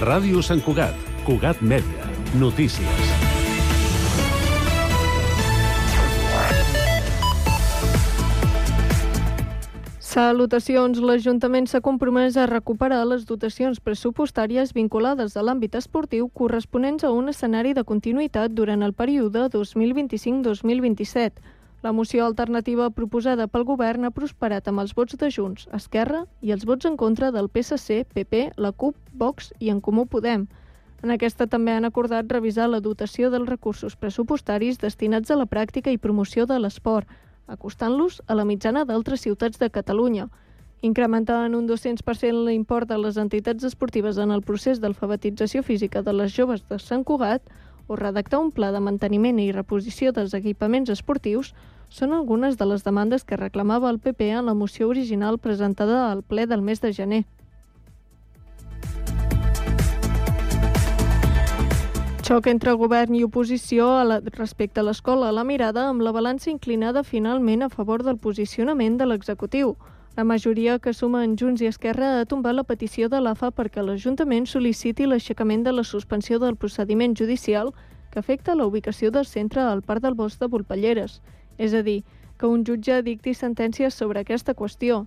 Ràdio Sant Cugat, Cugat Mèdia, notícies. Salutacions. L'Ajuntament s'ha compromès a recuperar les dotacions pressupostàries vinculades a l'àmbit esportiu corresponents a un escenari de continuïtat durant el període 2025-2027. La moció alternativa proposada pel govern ha prosperat amb els vots de Junts, Esquerra i els vots en contra del PSC, PP, la CUP, Vox i En Comú Podem. En aquesta també han acordat revisar la dotació dels recursos pressupostaris destinats a la pràctica i promoció de l'esport, acostant-los a la mitjana d'altres ciutats de Catalunya. Incrementar en un 200% l'import de les entitats esportives en el procés d'alfabetització física de les joves de Sant Cugat o redactar un pla de manteniment i reposició dels equipaments esportius són algunes de les demandes que reclamava el PP en la moció original presentada al ple del mes de gener. Xoc entre govern i oposició respecte a l'escola a la mirada, amb la balança inclinada finalment a favor del posicionament de l'executiu. La majoria que suma en Junts i Esquerra ha tombat la petició de l'AFA perquè l'Ajuntament sol·liciti l'aixecament de la suspensió del procediment judicial que afecta la ubicació del centre al Parc del Bosc de Volpelleres. És a dir, que un jutge dicti sentències sobre aquesta qüestió.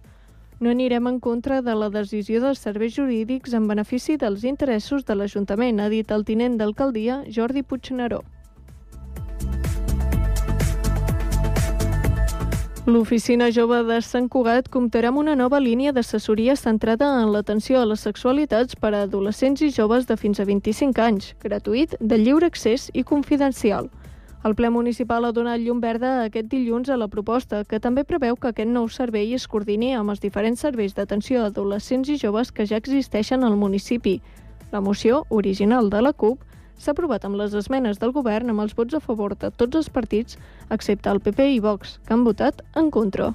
No anirem en contra de la decisió dels serveis jurídics en benefici dels interessos de l'Ajuntament, ha dit el tinent d'alcaldia Jordi Puigneró. L'Oficina Jove de Sant Cugat comptarà amb una nova línia d'assessoria centrada en l'atenció a les sexualitats per a adolescents i joves de fins a 25 anys, gratuït, de lliure accés i confidencial. El ple municipal ha donat llum verda aquest dilluns a la proposta, que també preveu que aquest nou servei es coordini amb els diferents serveis d'atenció a adolescents i joves que ja existeixen al municipi. La moció, original de la CUP, s'ha aprovat amb les esmenes del govern amb els vots a favor de tots els partits, excepte el PP i Vox, que han votat en contra.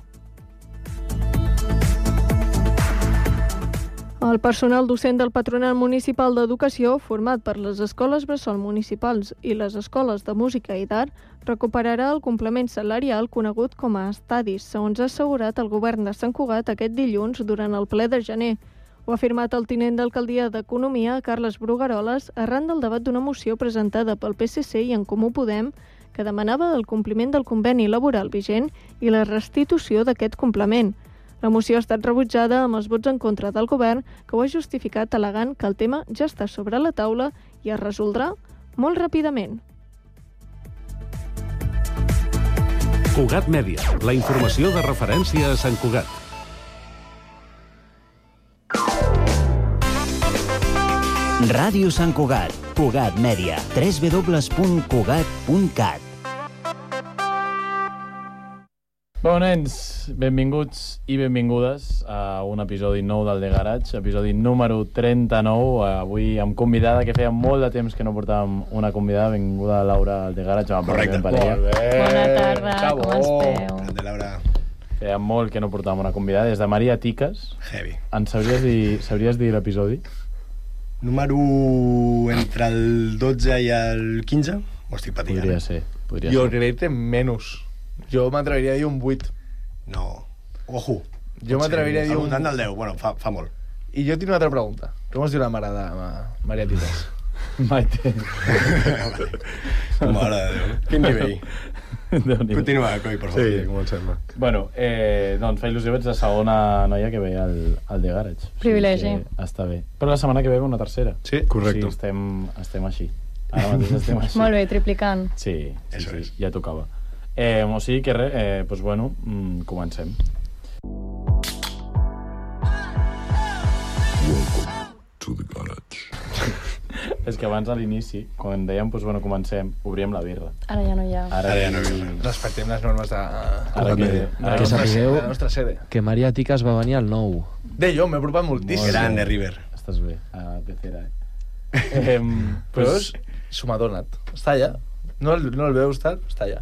El personal docent del Patronat Municipal d'Educació, format per les escoles bressol municipals i les escoles de música i d'art, recuperarà el complement salarial conegut com a estadis, segons ha assegurat el govern de Sant Cugat aquest dilluns durant el ple de gener. Ho ha afirmat el tinent d'alcaldia d'Economia, Carles Brugaroles, arran del debat d'una moció presentada pel PSC i En Comú Podem, que demanava el compliment del conveni laboral vigent i la restitució d'aquest complement. La moció ha estat rebutjada amb els vots en contra del govern, que ho ha justificat al·legant que el tema ja està sobre la taula i es resoldrà molt ràpidament. Cugat Mèdia, la informació de referència a Sant Cugat. Ràdio Sant Cugat, Cugat Mèdia, www.cugat.cat. Bon, nens, benvinguts i benvingudes a un episodi nou del The Garage, episodi número 39. Avui amb convidada, que feia molt de temps que no portàvem una convidada. Benvinguda Laura al The Garage. Correcte. Molt bé. Bona tarda, com esteu? Grande, Laura. Feia molt que no portàvem una convidada. Des de Maria Tiques. Heavy. Ens sabries dir l'episodi? Número entre el 12 i el 15? Ho estic patint. Podria ser. Jo crec que menys. Jo m'atreviria a dir un 8. No. Ojo. Jo m'atreviria a dir un... Al voltant del 10. Bueno, fa molt. I jo tinc una altra pregunta. Com es diu la mare de Maria Tites? Maite. Mare de Déu. Quin nivell. Continua, Coi, per favor. Sí, comencem. Bueno, doncs fa il·lusió, ets la segona noia que ve al The Garage. Privilegi. Està bé. Però la setmana que ve una tercera. Sí, correcte. Sí, estem així. Ara mateix estem així. Molt bé, triplicant. Sí, Eso és. ja tocava. O sigui que res, doncs bueno, comencem. Welcome to the garage. És que abans a l'inici, quan dèiem, doncs bueno, comencem, obríem la birra. Ara ja no hi ha. Ara ja no hi ha. Respectem les normes de... Que sapigueu la nostra sede. que Maria Tiques va venir al 9. Jo, m'he apropat moltíssim. Grande, River. Estàs bé, a pecera, Però s'ho m'ha donat. Està allà. No el veus tant? Està allà.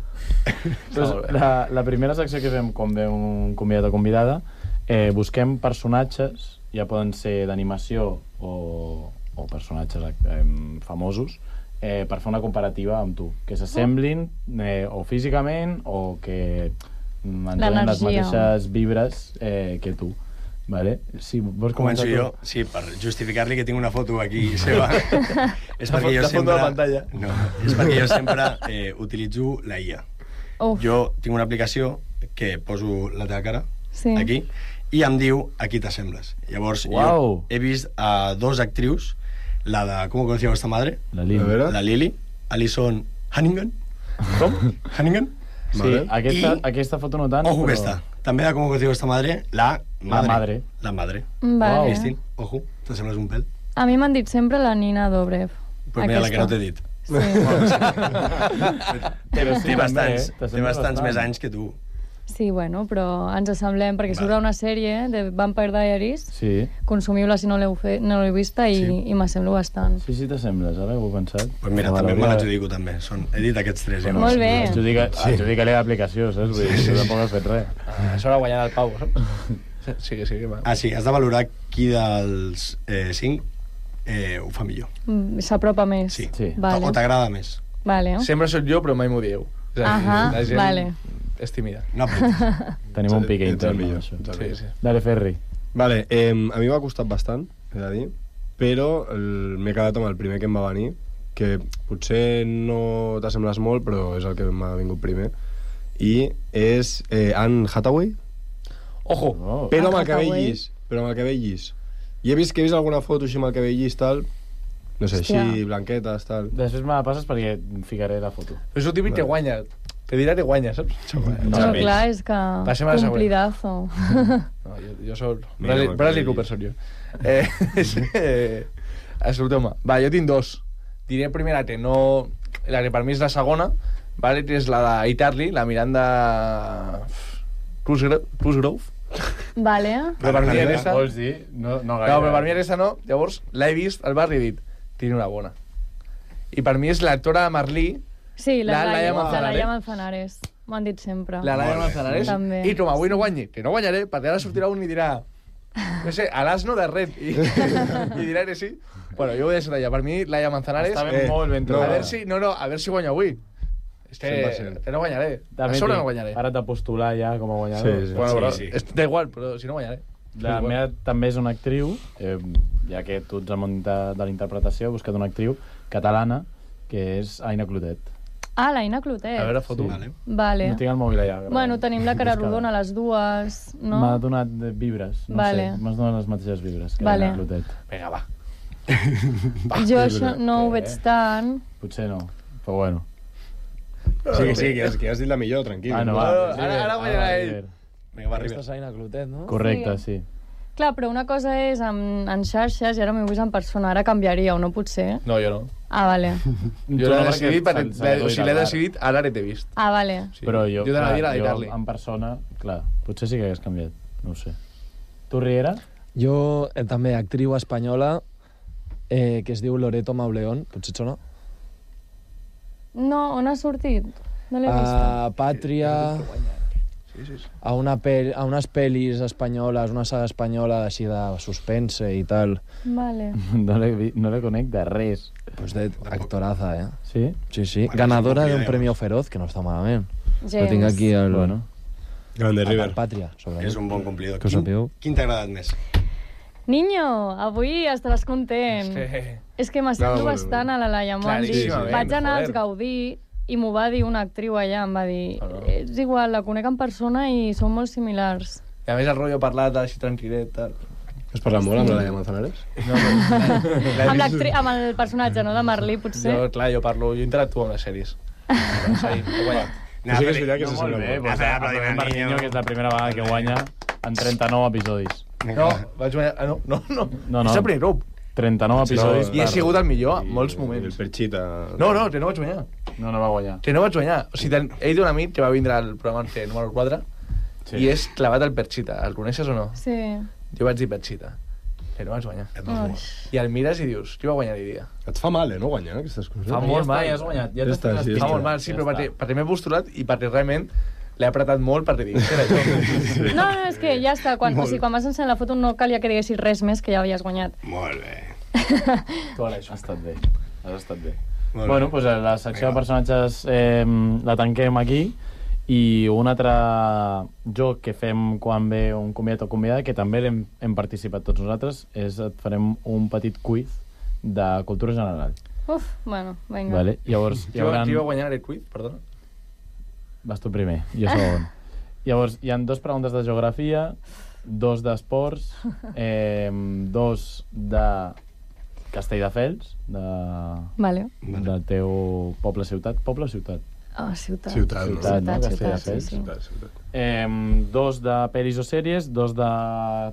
La primera secció que fem quan ve un convidat o convidada, busquem personatges, ja poden ser d'animació o personatges famosos, per fer una comparativa amb tu, que s'assemblin o físicament o que engeguin les mateixes vibres que tu. Vale. Sí, vols Començo començar tu? jo, sí, per justificar-li que tinc una foto aquí seva. És La perquè jo foto de la pantalla. No, és perquè jo sempre utilitzo la IA. Uf. Jo tinc una aplicació que poso la teva cara Sí. aquí i em diu a qui t'assembles. Llavors, Uau. jo he vist a dos actrius, la de ¿Cómo conocía vuestra madre? La Lili. A veure. La Lily, Alison Hannigan. Com? Hannigan. Sí, Vale. aquesta foto no tant, Ojo que però... està. També de ¿Cómo conocía vuestra madre? La madre. La madre. Vale. Cristín, ojo, t'assembles un pèl. A mi m'han dit sempre la Nina Dobrev. Pues mira, la que no t'he dit. Sí. Però sí, Té bastants, també, té bastants més anys que tu. Sí, bueno, però ens assemblem, perquè surt una sèrie de Vampire Diaries, Sí, consumiu-la si no l'heu vista i, Sí. i m'assemblo bastant. sí, t'assembles, ara ho he pensat. Pues mira, també me l'adjudico, també. He dit aquests tres. Llavors. Molt bé. Adjudica-li l'aplicació, saps? Vull dir, tu tampoc has fet res. Això l'ha guanyat el Pau, saps? Sí, va. Ah, sí, has de valorar qui dels 5 ho fa millor. S'apropa més. Sí. Sí. Vale. O t'agrada més. Vale. Sempre sóc jo, però mai m'ho dieu. Ahà, La gent vale. és tímida. No apretis. Tenim un pique Ets el intern, millor. això. Sí, sí. Dale, Ferri. Vale, a mi m'ha costat bastant, he de dir, però m'he quedat amb el primer que em va venir, que potser no t'assembles molt, però és el que m'ha vingut primer, i és Anne Hathaway, Ojo! Oh. però amb el Anne cabell Hathaway. llis. Però amb el cabell llis. I he vist alguna foto així amb el cabell llis, tal, no sé, Hòstia. així, blanquetes, tal. Després me la passes perquè ficaré la foto. Però és el típic que guanya. Te dirà que guanya, saps? No, clar, és que... Passem a la següent. Complidazo. No, jo soc... Mira, Bradley que- Cooper soc jo. Escolteu-me. Va, jo tinc dos. Diré primer la que no... La que per mi és la segona, vale, que és la d'Itarly, la Miranda... Cosgrove. Vale. Però per mi aquesta... Vols dir? No gaire. No, però per mi aquesta no. Llavors, l'he vist al barri i he dit, tiene una bona. I per mi és l'actora Marlí, Sí, La Laia Manzanares. Laia Manzanares. M'ho han dit sempre. la Laia Manzanares, També. i com avui no guanyi, que no guanyaré, perquè ara sortirà un i dirà, no sé, a l'asno de red, i dirà que sí. Bueno, jo ho he deixat allà. Per mi, Laia Manzanares... Està ben molt ben a trobada. veure si, a veure si guanyo avui. És que 100%. no guanyaré. També A sobre tinc- no guanyaré. Ara t'ha postulat ja com a guanyador. Sí, sí. Bueno, però Sí. da igual, però si no guanyaré. La meva també és una actriu, ja que tu ets al món de la interpretació, he buscat una actriu catalana, que és Aina Clotet. Ah, l'Aina Clotet. A veure, foto. Vale. Vale. No tinc el mòbil allà. Bueno, tenim la cara rodona, les dues, no? M'ha donat vibres, no Vale. sé, m'has donat les mateixes vibres que Vale. Aina Clotet. Vinga, va. Jo això no ho veig tant. Potser no, però bueno. Sí, que has dit la millor, tranquil. Ah, no, va, va. ara guanyarà ell. Vinga, va, Aquesta River. és Aina Clotet, no? Correcte, sí. Clar, però una cosa és en xarxes i ara m'ho he vist en persona. Ara canviaria, o no pot ser? No, jo no. Ah, vale. Jo l'he decidit, o sigui, l'he decidit, ara l'he vist. Ah, vale. Sí. Però jo, Jo t'anava a dir la d'Itarly. en persona, clar, potser sí que hagués canviat, no ho sé. Tu, Riera? Jo, també, actriu espanyola, que es diu Loreto Mauleón, potser et sona? No, on ha sortit? No l'he vist. A Pàtria, Sí, sí, sí. a unes pel·lis espanyoles, una saga espanyola així de suspense i tal. Vale. No le conec de res. Pues de actoraza, eh? Sí? Sí, sí. Bueno, Ganadora sí, de un podríamos. premio Feroz, que no està malament. Lo James. tinc aquí al... Bueno. Grande al River. Pàtria, sobretot. És un bon complidor. Que ho sapigueu. Quin t'ha agradat més? Niño, avui estaràs content. És que m'assemblo No, bueno, bastant a la Laia. M'ho han dit. Claríssimament, Vaig anar als joder. Gaudí i m'ho va dir una actriu allà. Em va dir, Ah, no. és igual, la conec en persona i són molt similars. I a més el rotllo parlat així tranquil·let, tal. Has parlat molt amb la Laia Manzanares? No, Amb el personatge, no?, de Marlí, potser. Jo, clar, jo interactuo amb les sèries. Sí, he guanyat. Però sí que és veritat que No, se molt sembla bé, molt. pues, aplaudiment per Niño, que és la primera vegada que guanya en 39 episodis. No, vaig guanyar... Ah, no. No, no. És el primer grup. 39 episodis. I he sigut el millor en I molts El moments. Perchita... No, que no vaig guanyar. No va guanyar. Que no vaig guanyar. O sigui, he dit un amic que va vindre al programa número 4 i és clavat el Perchita. El coneixes o no? Sí. Jo vaig dir Perchita. Que no vaig guanyar. Ai. I el mires i dius, qui va guanyar i dia? Et fa mal, no, guanyar aquestes coses? Fa molt mal. Ja has guanyat. Ja Ja està, sí, Fa molt mal, sí, però perquè m'he postulat i perquè realment l'he apretat molt perquè dic, què era això? No, és que ja està. Quan vas ensenyar la foto no calia que diguessis res més, que ja havies guanyat. Molt bé. Ha estat bé. Has estat bé. Molt Bueno, bé. doncs la secció de personatges la tanquem aquí I un altre joc que fem quan ve un convidat o convidada, que també hem participat tots nosaltres, és et farem un petit quiz de cultura general. Uf, bueno, vinga. Vale? Llavors, Qui va guanyar aquest quiz, perdona? Vas tu primer, jo segon. Llavors, hi ha 2 preguntes de geografia, 2 d'esports, 2 de Castelldefels, Vale. del teu poble-ciutat. Poble o ciutat? Ciutat. Castelldefels. 2 de pel·lis o sèries, 2 de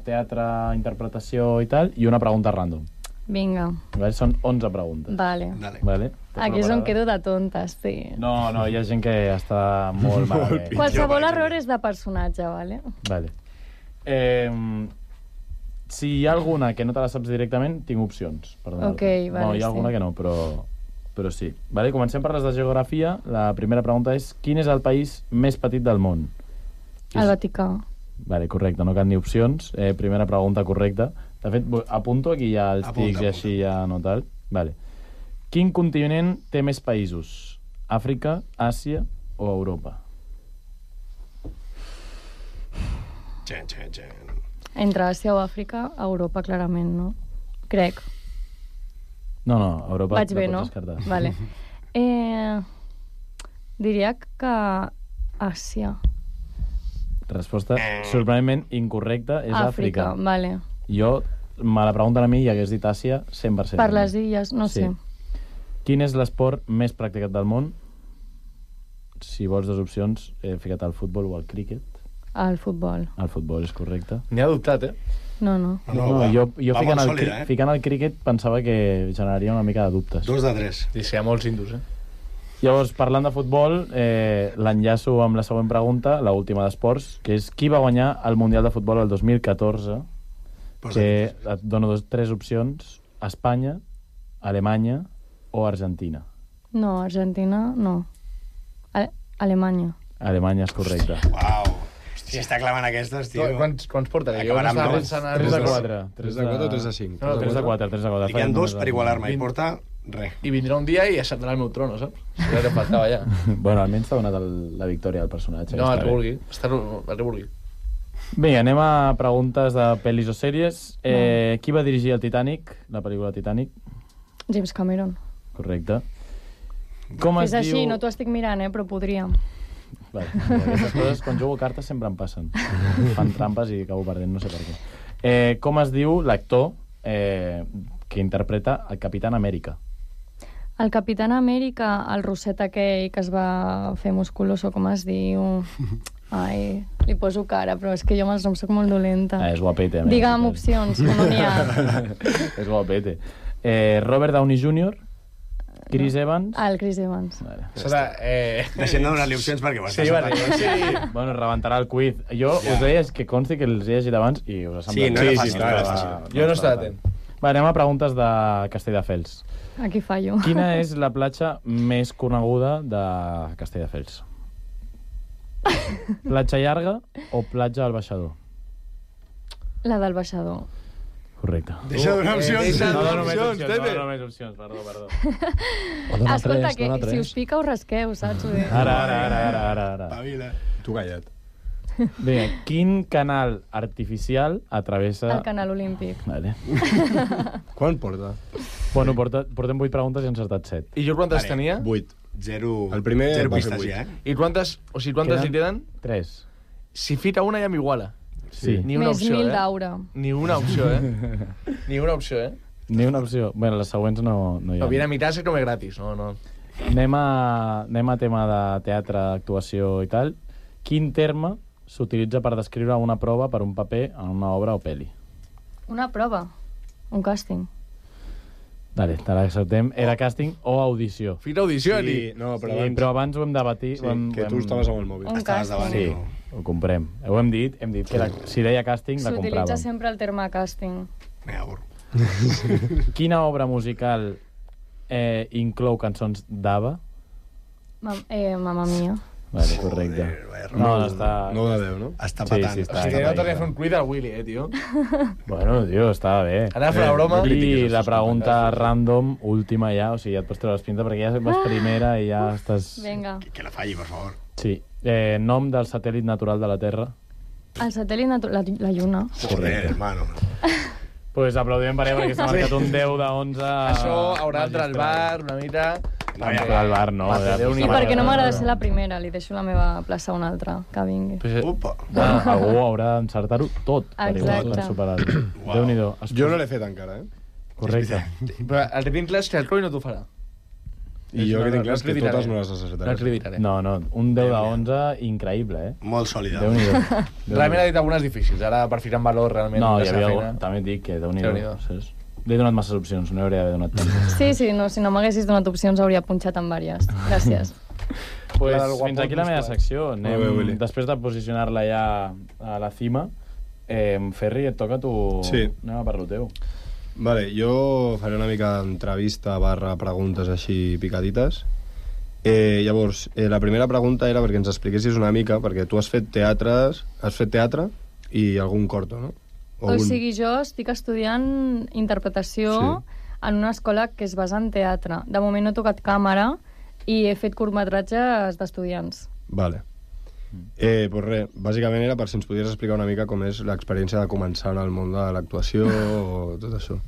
teatre, interpretació i tal, i una pregunta random. Vinga. Vale? Són 11 preguntes. Vale. Vale? Aquí és on quedo de tonta, sí. No, hi ha gent que està molt malament. Qualsevol error és de personatge, vale? Vale. Si hi ha alguna que no te la saps directament, tinc opcions. Ok, vale, no, hi ha alguna que no, però sí. Vale, comencem per les de geografia. La primera pregunta és: quin és el país més petit del món? El Vaticà. Vale, correcte, no cal ni opcions. Primera pregunta correcta. De fet, apunto aquí ja els tics i així ja no tal. Vale. Quin continent té més països? Àfrica, Àsia o Europa? Entre Àsia o Àfrica, Europa, clarament, no? Crec. No, Europa Vaig bé, no? Descartar. Vale. Diria que Àsia. Resposta sorprenentment incorrecta, és Àfrica. Vale. Jo, me la pregunten a mi i hagués dit Àsia 100%. Per les illes, no sé. Quin és l'esport més practicat del món? Si vols 2 opcions, he ficat el futbol o el críquet. El futbol. El futbol és correcte. N'hi ha dubtat, No. Jo ficant el críquet pensava que generaria una mica de dubtes. 2 de 3. Sí, hi ha molts indus, Llavors, parlant de futbol, l'enllaço amb la següent pregunta, l'última d'esports, que és: qui va guanyar el Mundial de Futbol el 2014? Que et dono 3 opcions: Espanya, Alemanya o Argentina. No, Argentina, no. Alemanya. Alemanya és correcte. Uau. Si està clavant aquestes, tio... Quants porta? Jo Acabarà amb 3 de 4. 3 de 4 o 3 de 5? No, 3 de 4, 3 de 4. Li queden 2 per igualar-me, i porta res. I vindrà un dia i ascenderà el meu trono, saps? Ja que faltava ja. Bueno, almenys t'ha donat la victòria del personatge. No, el que vulgui. El que vulgui. Bé, anem a preguntes de pel·lis o sèries. Qui va dirigir el Titanic, la pel·lícula Titanic? James Cameron. Correcte. Com es diu... És així, diu... no t'ho estic mirant, però podria. Vale. Aquestes coses, quan jugo a cartes, sempre em passen. Fan trampes i acabo perdent, no sé per què. Com es diu l'actor que interpreta el Capitán Amèrica? El Capitán Amèrica, el rosset aquell que es va fer musculoso, com es diu... Ai, li poso cara, però és que jo amb els noms soc molt dolenta. És guapete. Digue'm opcions, que no n'hi ha. És guapete. Robert Downey Jr., Chris Evans... El Chris Evans. Vale. Deixem de donar-li opcions perquè ho estàs sí. Bueno, rebentarà el quiz. Jo us deia que consti que els he llegit abans i us ha semblat... Sí, no era fàcil, no era fàcil. Jo no estava atent. Va, anem a preguntes de Castelldefels. Aquí fallo. Quina és la platja més coneguda de Castelldefels? Platja Llarga o platja al Baixador? La del Baixador. Correcte. Deixa de donar opcions. No dono més opcions, perdó. Escolta, que si us pica us rasqueu, saps? Ara. Pavila. Tu callat. Bé, quin canal artificial atravessa... El canal olímpic. Vale. Quan porta? Bueno, portem 8 preguntes i hem encertat 7. I jo quantes tenia? 8. 0 El primer va pistes fer ja, I quantes li queden? 3. Si fica una ja m'iguala. Sí. Ni una Més opció, 1000 d'aure. Ni una opció, Ni una opció, Ni una opció. Bueno, les següents no hi ha. No, viene a mitad, se come gratis. No. Anem a tema de teatre, actuació i tal. Quin terme s'utilitza per descriure una prova per un paper en una obra o pel·li? Una prova. Un càsting. Vale, te l'acceptem. Era càsting o audició? Fita audició, Sí, no, però abans ho hem debatit. Sí, que tu estaves amb el mòbil. Un càsting. Sí, ho comprem. Ho hem dit que era, si deia càsting, la compràvem. S'utilitza sempre el terme càsting. Quina obra musical inclou cançons d'ABBA? Mamma Mia. Vale, correcte. No està... 9 de 10, no? Està patant. Sí, està Si no tornem a fer un quiz al Willy, tio. Bueno, tio, estava bé. Ara fer la broma. I la pregunta random, última ja, o sigui, ja et pots treure les pintes perquè ja vas primera i ja estàs... Vinga. Que la falli, per favor. Sí. Nom del satèl·lit natural de la Terra. El satèl·lit natural... La Lluna. Joder, hermano. Pues aplaudiment per ella perquè s'ha marcat un 10 de 11. Això haurà d'entrar al bar una mica... No, al bar no. I perquè no m'agrada ser la primera, li deixo la meva plaça a una altra, que vingui. Opa. Algú haurà d'encertar-ho tot Exacte. per superar-ho. Déu-n'hi-do. Jo no l'he fet encara, Correcte. Però el que tinc clar és que el Rui no t'ho farà. I jo que tinc clar és que totes no les necessitaré. No, un 10 de 11 increïble, Molt sòlida. Déu-n'hi-do. Realment ha dit algunes difícils, ara per ficar en valor realment No, la hi seva havia feina. també et dic que Déu-n'hi-do. Li he donat masses opcions, no hi hauria d'haver donat tantes. Sí, no, si no m'haguessis donat opcions hauria punxat en vàries. Gràcies. Pues fins aquí la meva secció. Després de posicionar-la ja a la cima, Ferri, et toca a tu. Sí. Anem a per lo teu. Vale, jo faré una mica d'entrevista / preguntes així picadites. Llavors, la primera pregunta era perquè ens expliquessis una mica, perquè tu has fet teatre i algun corto, no? O sigui, jo estic estudiant interpretació en una escola que es basa en teatre. De moment no he tocat càmera i he fet curtmetratges d'estudiants. Vale. Pues res, bàsicament era per si ens podries explicar una mica com és l'experiència de començar en el món de l'actuació o tot això.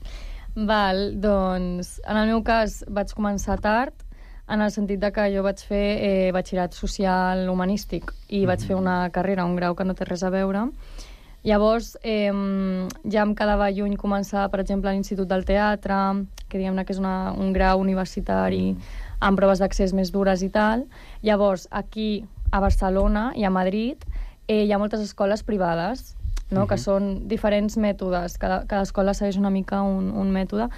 Val, doncs, en el meu cas vaig començar tard, en el sentit de que jo vaig fer batxillerat social humanístic i vaig fer una carrera, un grau que no té res a veure. Llavors, ja em quedava lluny començar, per exemple, a l'Institut del Teatre, que diguem-ne que és un grau universitari amb proves d'accés més dures i tal. Llavors, aquí, a Barcelona i a Madrid, hi ha moltes escoles privades, no? Que són diferents mètodes. Cada escola segueix una mica un mètode.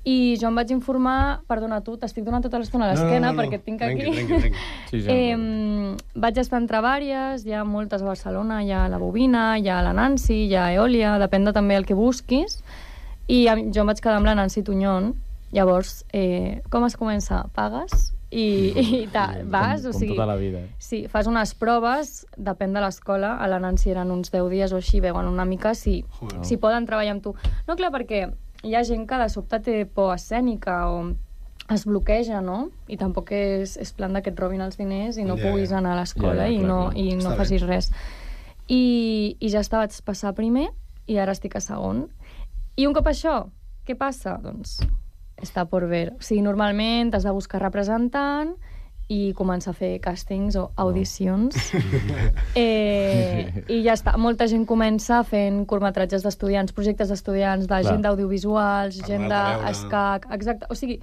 I jo em vaig informar... Perdona, tu, t'estic donant tota l'estona a l'esquena perquè et tinc aquí. Vaig estar entre vàries, hi ha moltes a Barcelona, hi ha la Bobina, hi ha la Nancy, hi ha Eòlia, depèn de també el que busquis. I jo em vaig quedar amb la Nancy Tuñón. Llavors, com es comença? Pagues i vas, o sigui... Com tota la vida. Sí, fas unes proves, depèn de l'escola. A la Nancy eren uns 10 dies o així, veuen una mica si poden treballar amb tu. No, clar, perquè hi ha gent que de sobte té por escènica o es bloqueja, no? I tampoc és plan que et robin els diners i no puguis anar a l'escola i no facis res. I ja està, vaig passar a primer i ara estic a segon. I un cop això, què passa? Doncs està por ver. O sigui, normalment has de buscar representant i començar a fer càstings o audicions. I ja està. Molta gent comença fent curtmetratges d'estudiants, projectes d'estudiants, de gent d'audiovisuals, gent d'escac... Exacte. O sigui,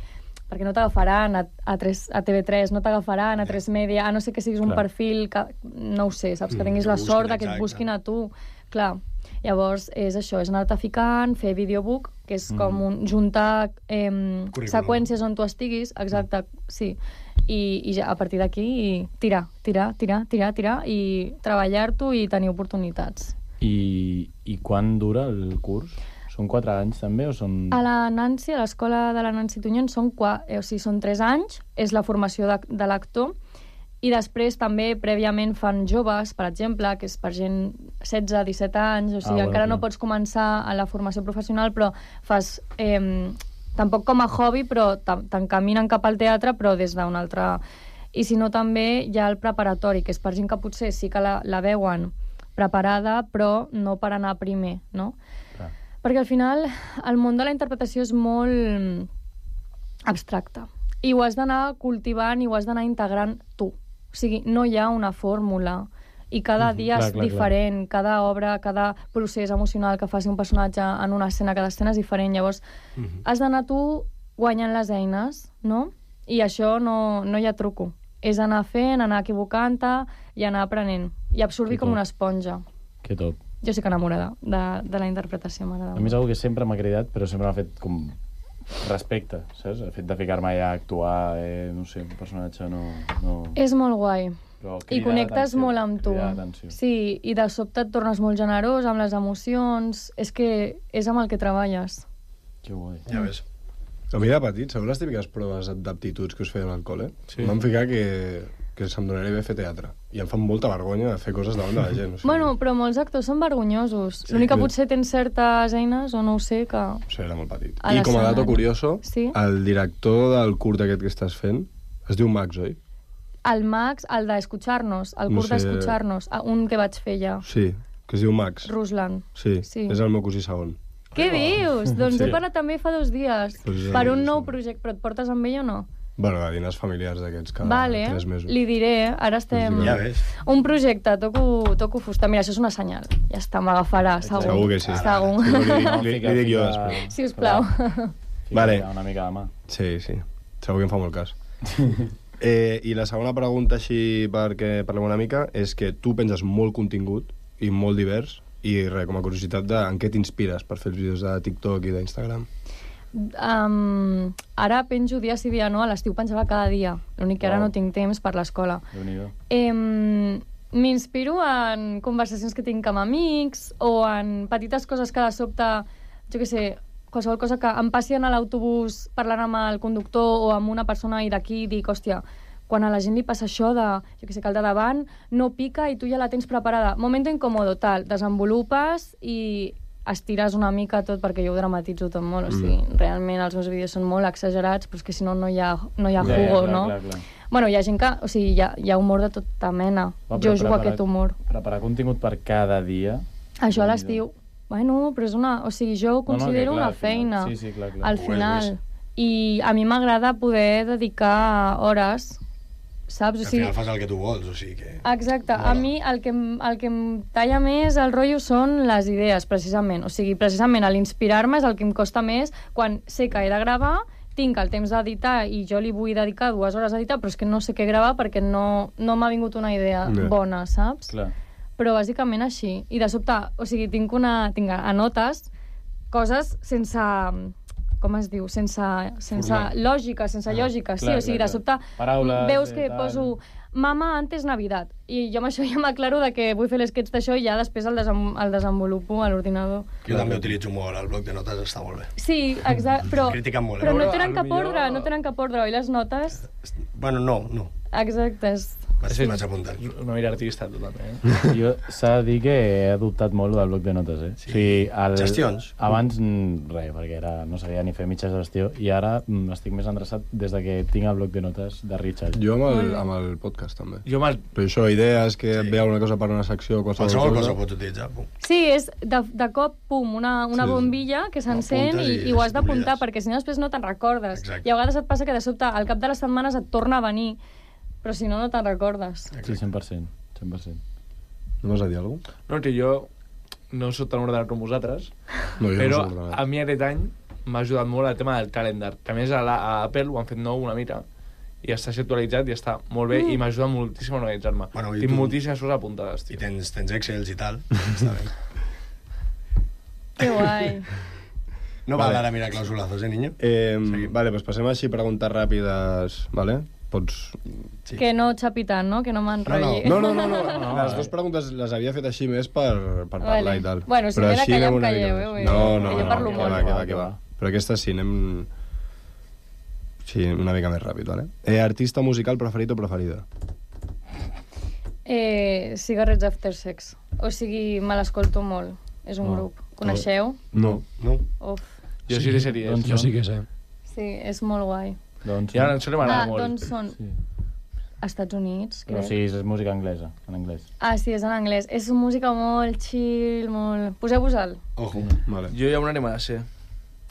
perquè no t'agafaran a TV3, no t'agafaran a 3 Media, a no ser que siguis un perfil que... No ho sé, saps? Que tinguis la sort de que et busquin a tu. Clar. Llavors, és això, és anar-te ficant, fer videobook, que és com juntar seqüències on tu estiguis, exacte, sí, i ja a partir d'aquí tirar i treballar-t'ho i tenir oportunitats. I quan dura el curs? Són 4 anys també o són... A la Nancy, a l'escola de la Nancy Tuñón, són 3 anys, és la formació de l'actor, i després també prèviament fan joves, per exemple, que és per gent 16-17 anys, o sigui, encara no pots començar a la formació professional, però fas tampoc com a hobby, però t'encaminen cap al teatre, però des d'un altre... I si no, també hi ha el preparatori, que és per gent que potser sí que la veuen preparada, però no per anar primer, no? Perquè al final el món de la interpretació és molt abstracte. I ho has d'anar cultivant i ho has d'anar integrant tu. O sigui, no hi ha una fórmula i cada dia és diferent, cada obra, cada procés emocional que faci un personatge en una escena, cada escena és diferent. Llavors, has d'anar tu guanyant les eines, no? I això no hi ha truco. És anar fent, anar equivocant-te i anar aprenent. I absorbir com una esponja. Que top. Jo sí que enamorada de la interpretació, m'agrada molt. A mi és una que sempre m'ha cridat, però sempre m'ha fet com respecte, saps? El fet de ficar-me allà a actuar, no sé, un personatge no... És molt guai. I connectes molt amb tu. Sí, i de sobte et tornes molt generós amb les emocions. És que és amb el que treballes. Que guai. Ja ves. A mi de petit, sabeu les típiques proves d'aptituds que us feien al col·le? Sí. Em vam ficar que se'm donaria bé fer teatre. I em fan molta vergonya fer coses davant de la gent. O sigui... Bueno, però molts actors són vergonyosos. Sí, l'únic que potser tens certes eines, o no ho sé, que... O sigui, era molt petit. I com a dato curioso, el director del curt aquest que estàs fent es diu Max, oi? El Max, el d'Escuchar-nos, el curs d'Escuchar-nos, un que vaig fer ja. Sí, que es diu Max. Ruslan. Sí, és el meu cosí segon. Què dius? Doncs he parlat també fa 2 dies. Per un nou projecte, però et portes amb ell o no? Bueno, a dinars familiars d'aquests cada 3 mesos. Li diré, ara estem... Ja ves. Un projecte, toco fusta. Mira, això és una senyal. Ja està, m'agafarà, segur. Segur que sí. Segur. Li dic jo després. Sisplau. Vale. Una mica de mà. Sí. Segur que em fa molt cas. I la segona pregunta, així perquè parlem una mica, és que tu penses molt contingut i molt divers, i res, com a curiositat, en què t'inspires per fer els vídeos de TikTok i d'Instagram? Ara penjo dia sí dia no, a l'estiu penjava cada dia, l'únic que ara no tinc temps per l'escola. M'inspiro en conversacions que tinc amb amics o en petites coses que de sobte, jo què sé, qualsevol cosa que em passi en l'autobús parlant amb el conductor o amb una persona i d'aquí dic, hòstia, quan a la gent li passa això de, jo què sé, que el de davant no pica i tu ja la tens preparada. Momento incòmodo, tal, desenvolupes i estires una mica tot perquè jo ho dramatitzo tot molt, o sigui, realment els meus vídeos són molt exagerats, però és que si no, no hi ha jugo, no? Clar. Bueno, hi ha gent que, o sigui, hi ha humor de tota mena. Jo jugo a aquest humor. Preparar contingut per cada dia... Això a l'estiu, bueno, però és una... O sigui, jo ho considero una feina. Sí, clar. Al final. I a mi m'agrada poder dedicar hores, saps? Al final fas el que tu vols, o sigui que... Exacte. A mi el que em talla més el rotllo són les idees, precisament. O sigui, precisament l'inspirar-me és el que em costa més quan sé que he de gravar, tinc el temps d'editar i jo li vull dedicar 2 hores a editar, però és que no sé què gravar perquè no m'ha vingut una idea bona, saps? Clar. Però bàsicament així. I de sobte, o sigui, tinc a notes coses sense... com es diu? Sense lògica, sense lògica, sí. O sigui, de sobte veus que poso mama antes Navidad. I jo amb això ja m'aclaro de que vull fer l'esquets d'això i ja després el desenvolupo a l'ordinador. Jo també utilitzo molt, el bloc de notes està molt bé. Sí, exacte, però no tenen cap ordre, oi, les notes? Bueno, no. Exacte, vaig apuntant. Una mira artista, totalment. Jo s'ha de dir que he adoptat molt del bloc de notes, Sí. O sigui, gestions. Abans, res, perquè no sabia ni fer mitja gestió, i ara estic més endreçat des de que tinc el bloc de notes de Richard. Jo amb el podcast, també. Jo amb el... Però això, idees, que et ve alguna cosa per una secció, qualsevol cosa pots utilitzar, pum. Sí, és de cop, pum, una bombilla que s'encén i ho has d'apuntar, perquè si no després no te'n recordes. I a vegades et passa que de sobte, al cap de les setmanes et torna a venir, però si no, no te'n recordes. Sí, 100%. No vas a dir alguna cosa? No, que jo no soc tan ordenat com vosaltres, però a mi aquest any m'ha ajudat molt el tema del calendar, que a més a Apple ho han fet nou una mica, i està actualitzat i està molt bé, i m'ajuda moltíssim a organitzar-me. Tinc moltíssimes coses apuntades, tio. I tens Excels i tal, està bé. Que guai. No val ara mirar clausulazos, niño? Vale, pues passem així preguntes ràpides, vale? Pots... Que no xapi tant, no? Que no m'enrotlli. No. Les 2 preguntes les havia fet així més per parlar i tal. Bueno, si m'he de callar, em calleu, No, jo parlo molt. Que va. Però aquesta sí, anem... Sí, una mica més ràpid, vale? Artista musical preferit o preferida? Cigarettes After Sex. O sigui, me l'escolto molt. És un grup. Coneixeu? No. Uf. Jo sí que seria. Jo sí que sé. Sí, és molt guai. Doncs... I ara això m'agrada molt. Doncs són Estats Units, crec. No, sí, és música anglesa, en anglès. Sí, és en anglès. És música molt chill, molt... Poseu-vos-el. Ojo. Vale. Jo ja una anem a ser.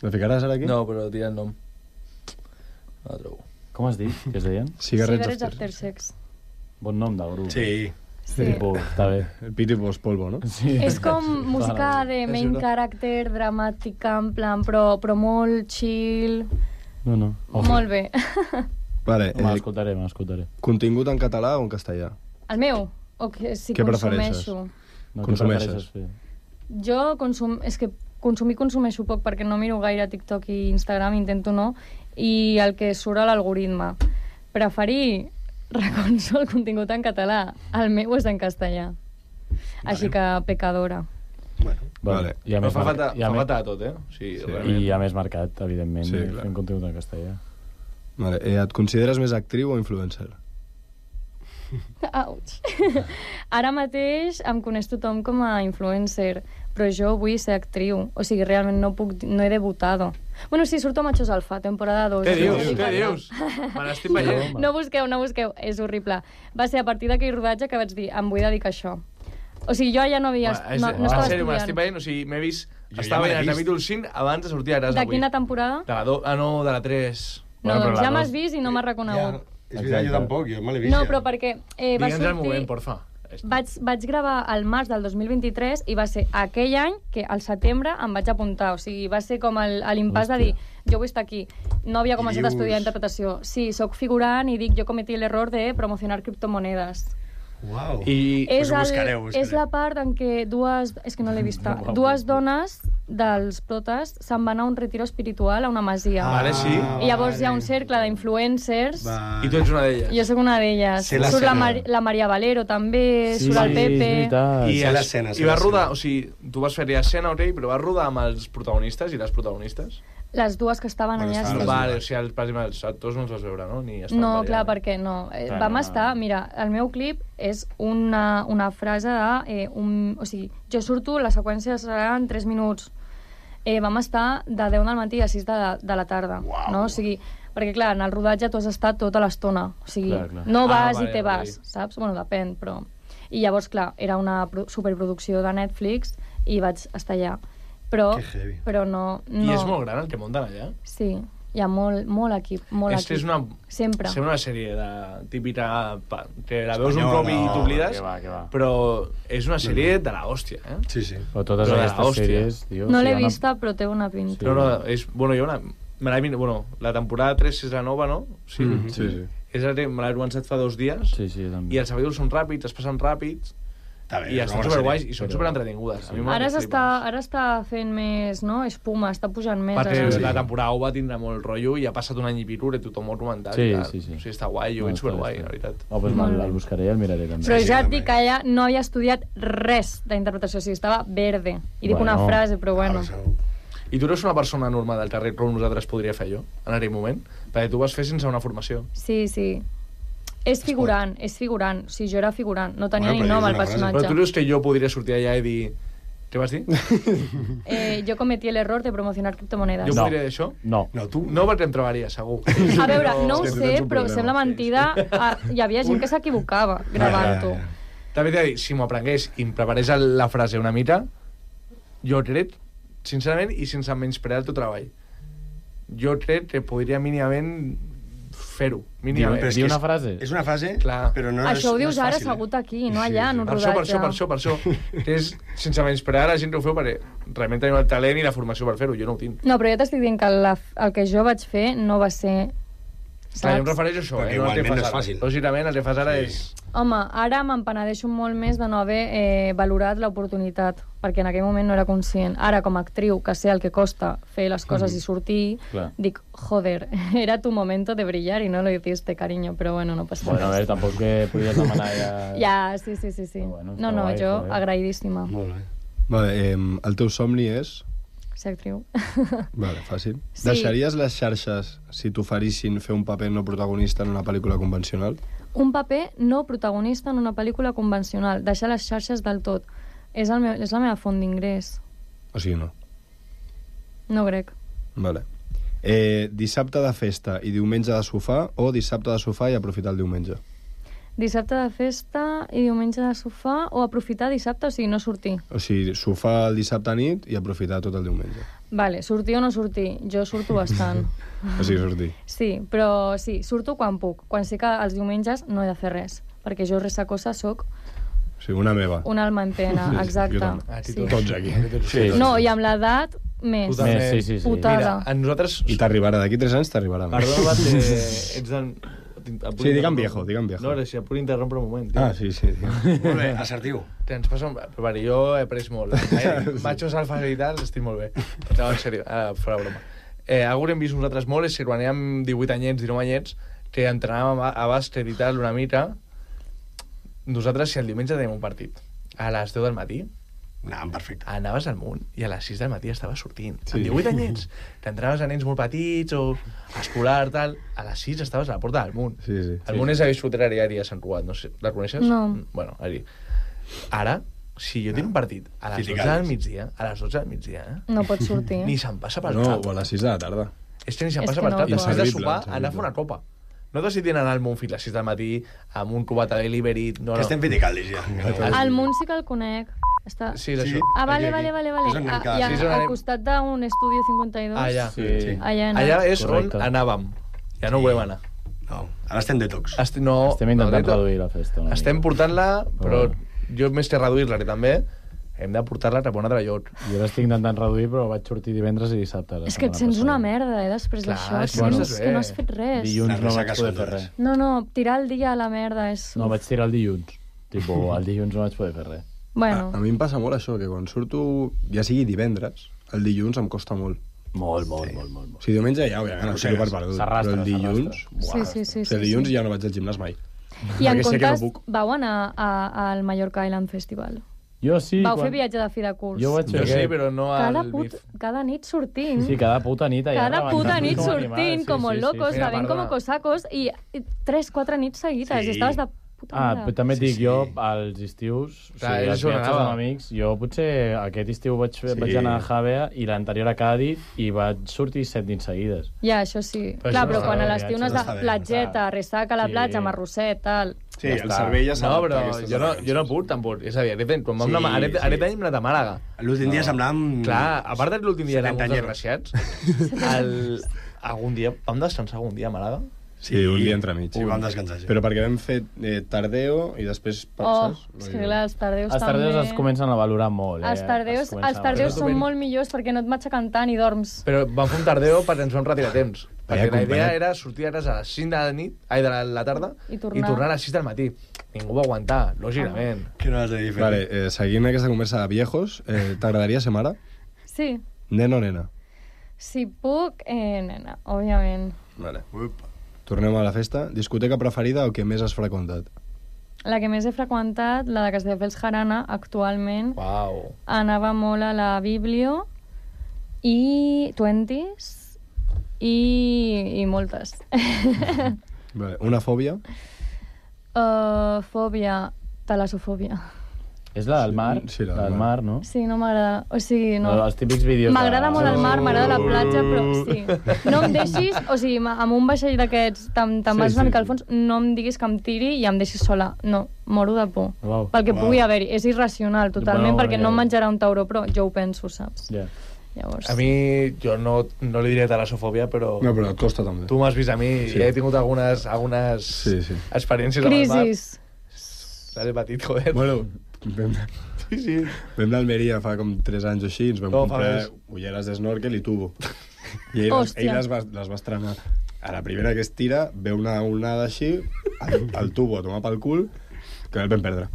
La ficaràs ara aquí? No, però diré el nom. No la trobo. Com has dit? Què es deien? Cigarettes After Sex. Bon nom de grup. Sí. Està bé. El Piti Pos Polvo, no? Sí. És com música de main character, dramàtica, en plan, però molt chill... No. Molt bé. Vale, m'escoltaré. Contingut en català o en castellà? El meu? O que si què consumeixo? Consumeixes? Jo és que consumeixo poc perquè no miro gaire TikTok i Instagram, intento no, i el que surt a l'algoritme. Preferir reconso el contingut en català. El meu és en castellà. Així que pecadora. Vale. Però fa falta de tot, Sí. I hi ha més mercat, evidentment, fent contingut en castellà. Vale. Et consideres més actriu o influencer? Auig. Ara mateix em coneix tothom com a influencer, però jo vull ser actriu. O sigui, realment no he debutat. Bueno, sí, surto a Machos Alfa, temporada 2. Què dius? Me l'estic veient. No busqueu, és horrible. Va ser a partir d'aquell rodatge que vaig dir, em vull dedicar a això. O sigui, jo ja no havia... No estava estudiant. Me l'estic estudiant. veient, o sigui, m'he vist... Estava veient el capítol 5 abans de sortir a Gràs De avui. quina temporada? De la 2, no, de la 3. No, doncs ja m'has vist i no m'has reconegut. És veritat, jo tampoc, jo me l'he vist. No, però perquè va Digue'ns sortir... el moment, porfa. Vaig gravar al març del 2023 i va ser aquell any que al setembre em vaig apuntar. O sigui, va ser com l'impàs de dir jo vull estar aquí. No havia començat a estudiar interpretació. Sí, sóc figurant i dic jo cometí l'error de promocionar criptomonedes. Uau. I És la part en què és que no l'he vista. Dues dones dels protes se'n van a un retiro espiritual a una masia. Vale, sí. I llavors hi ha un cercle d'influencers. I tu ets una d'elles. Jo sóc una d'elles. Surt la Maria Valero també, surt el Pepe. I vas rodar, o sigui, tu vas fer-hi escena, però vas rodar amb els protagonistes i les protagonistes? Les dues que estaven allà. Vale, o sigui, els actors no els vas veure, no? No, clar, perquè no. Vam estar... Mira, el meu clip és una frase de... O sigui, jo surto, la seqüència serà en 3 minuts. Vam estar de 10 del matí a 6 de la tarda. No? O sigui, perquè, clar, en el rodatge tu has estat tota l'estona. O sigui, no vas i te vas, saps? Bueno, depèn, però... I llavors, clar, era una superproducció de Netflix i vaig estar allà. Però no... I és molt gran el que munten allà? Sí, hi ha molt equip, equip. Sempre. Sembla una sèrie típica que la veus un cop i t'oblides, però és una sèrie de la hòstia, eh? Sí. Però totes aquestes sèries... No l'he vista, però té una pinta. No, és... Bueno, hi ha una... Bueno, la temporada 3 és la nova, no? Sí. Me l'he començat fa 2 dies i els capítols són ràpids, es passen ràpids. I estan superguais i són superentretingudes. Ara està fent més, no? Espuma, està pujant més. Perquè la temporada 1 va tindre molt rotllo i ha passat un any i pico i tothom ho ha comentat. Sí. O sigui, està guai, jo ho veig superguai, la veritat. Doncs el buscaré i el miraré també. Però ja et dic que ella no havia estudiat res d'interpretació, o sigui, estava verde. I dic una frase, però bueno. I tu eres una persona normal del carrer com nosaltres podria fer jo, en aquell moment? Perquè tu vas fer sense una formació. Sí. És figurant. O sigui, jo era figurant. No tenia ni nom al personatge. Però tu dius que jo podria sortir allà i dir... Què vas dir? Jo cometí l'error de promocionar criptomonedes. Jo podria dir això? No. No, perquè em trobaria, segur. A veure, no ho sé, però sembla mentida. Hi havia gent que s'equivocava gravant-ho. També t'he de dir, si m'ho aprengués i em preparés la frase una mica, jo crec, sincerament, i sense menysprear el teu treball, jo crec que podria mínimament fer-ho. Dir una frase? És una frase, clar. Però no és fàcil. Això ho dius ara assegut aquí, no allà, en un rodatge. Per això. Que és, sense menysprear la gent que ho feu, perquè realment tenim el talent i la formació per fer-ho, jo no ho tinc. No, però jo t'estic dient que el que jo vaig fer no va ser... Clar, jo em refereixo a això, perquè igualment no és fàcil. Lògicament, el que fas ara és... Home, ara m'empenedeixo molt més de no haver valorat l'oportunitat, perquè en aquell moment no era conscient. Ara, com a actriu, que sé el que costa fer les coses i sortir, dic, joder, era tu momento de brillar y no lo hiciste, cariño, però bueno, no passa res. Bueno, a veure, tampoc que podies demanar ja... Ja, sí. Bueno, no, jo agraïdíssima. Molt bé. Vale, el teu somni és... Ser actriu. Vale, fàcil. Sí. Deixaries les xarxes si t'oferissin fer un paper no protagonista en una pel·lícula convencional? Un paper no protagonista en una pel·lícula convencional. Deixar les xarxes del tot. És la meva font d'ingrés. O sigui, no. No crec. Vale. Dissabte de festa i diumenge de sofà o dissabte de sofà i aprofitar el diumenge? Dissabte de festa i diumenge de sofà o aprofitar dissabte, o sigui, no sortir? O sigui, sofà el dissabte nit i aprofitar tot el diumenge. Vale, sortir o no sortir? Jo surto bastant. O sigui, sortir. Sí, però sí, surto quan puc. Quan sé que els diumenges no he de fer res, perquè jo ressacosa soc... O sigui, una meva. Una alma en pena, exacte. Sí. Tots aquí. Sí. No, i amb l'edat, més. Sí. Putada. Mira, a nosaltres... I t'arribarà, d'aquí 3 anys t'arribarà. Perdó, ets del... Sí, digue'm viejo. No, si em puc interrompre un moment. Ah, sí. Molt bé, assertiu. Ens passa... Però jo he après molt. Machos alfas i tal, estic molt bé. No, en sèrio, fora broma. Algú que hem vist nosaltres molt és que quan érem 18 anyets, 19 anyets, que entrenàvem a bàsquet i tal una mica, nosaltres, si el diumenge tenim un partit a les 10 del matí, Anàvem perfecte. Anaves al Munt i a les 6 del matí estaves sortint. Sí. Amb 18 anyets, t'entraves a nens molt petits o escolar, tal, a les 6 estaves a la porta del Munt. Sí. El Munt és a Visfotera Diària a Sant Cugat, no sé, la coneixes? No. Bueno, allí. Ara, Si jo tinc un partit a les 12 del migdia, No pots sortir. ni se'm passa pel No, cap. o a les 6 de la tarda. És que ni se'm És passa que pel no cap. Després de Inservible, sopar, anar a fer una copa. No decidint anar al Montfil a les 6 del matí amb un cubat a delivery. No, Que estem Fiticaldis, ja. El Munt sí que el conec. Està... Sí, és això. Ah, vale. És on anem cada I sis. al costat d'un Estudio 52. Allà. Sí. Allà És Correcte. on anàvem. Ja no volem anar. No, ara estem detox. No, Estem intentant no, reduir la festa. una Estem mica. portant-la, però jo més que reduir-la, que també hem de portar-la cap a un altre lloc. Jo l'estic intentant reduir, però vaig sortir divendres i dissabte. És que et sents una merda, després Clar, d'això. és que no Sents estàs que bé. no has fet res. Dilluns Les no vaig ressaques poder són fer dures. res. No, tirar el dia a la merda és... No, vaig tirar el dilluns. Tipo, el dilluns no vaig poder fer res. Bueno, A mi em passa molt això, que quan surto, ja sigui divendres, el dilluns em costa molt. Molt. O sigui, diumenge ja, òbviament, el tiro per perdut. S'arrastra, Però el dilluns... sí. O sigui, el dilluns ja no vaig al gimnàs mai. I en perquè sé que no comptes puc. vau anar al Mallorca Island Festival. Jo sí. Vau fer viatge de fi de curs. Jo vaig fer Jo sí, aquest. però no al bif. Cada nit sortint. Sí, cada puta nit allà. Cada puta rebentant nit com sortint, animals, com locos, Mira, bevent com perdona. cosacos, i 3-4 nits seguides, i estaves de puta Però mare. també et dic, jo, als estius, Clar, els és on viatges anava. amb amics, jo potser aquest estiu vaig anar a Javea i l'anterior a Cádiz i vaig sortir 7 nits seguides. Ja, això sí. Però Clar, això però no quan està a bé, l'estiu no has no de està bé, platgeta, ressaca a la Sí. platja, marrosset, tal. Sí, Ja el està. cervell ja No, s'adapta però a aquestes jo no puc, tampoc. És a dir, quan vam Sí, anar... Aquest sí. any hem anat a Màlaga. L'últim dia semblàvem... Clar, a part de l'últim dia érem 70 uns anyos. desgraciats, algun dia... Vam descansar algun dia a Màlaga? Sí, un dia entremig. Sí, vam descansar, sí. Però perquè vam fer tardeo i després Oh, passes. és que clar, els tardeus Els tardeus també... es comencen a valorar molt, Els tardeus, són molt millors perquè no et matxaquen tant i dorms. Però vam fer un tardeo perquè ens vam retirar a temps. Perquè la idea acompanyat. era sortir a casa a les 5 de la nit, de la tarda, I tornar. a les 6 del matí. Ningú va aguantar, lògicament. Que no has de dir fer. Vale, seguint aquesta conversa de viejos, t'agradaria ser mare? Sí, Nen o nena? si puc, nena, òbviament. Vale. Tornem a la festa. Discoteca preferida o que més has freqüentat? La que més he freqüentat, la de Castelldefels Jarana, actualment. Uau. Anava molt a la Biblio i 20s i moltes. Vale. Una fòbia? Fòbia, talassofòbia. És la del mar? Sí, la la del del mar, no? Sí, no m'agrada. O sigui, no. Els típics vídeos... M'agrada molt el mar, m'agrada la platja, però sí. No em deixis, o sigui, amb un vaixell d'aquests, te'n vas una mica al fons, no em diguis que em tiri i em deixis sola. No, moro de por. Uau. Pel que pugui haver-hi. És irracional, totalment, Bueno, perquè no em menjarà un tauró, però jo ho penso, saps? Ja. Llavors... A mi, jo no li diré talassofòbia, però... No, però et costa també. Tu m'has vist a mi Sí. i he tingut algunes Sí. experiències amb el mar. Crisis. L'he patit, joder. Bueno, vam Sí. vam d'Almeria fa com 3 anys o així, ens vam No, fa comprar més. ulleres d'esnorkel i tubo. I ell Hòstia. les va estrenar. A la primera que es tira, ve una onada així, el tubo a tomar pel cul, que el vam perdre.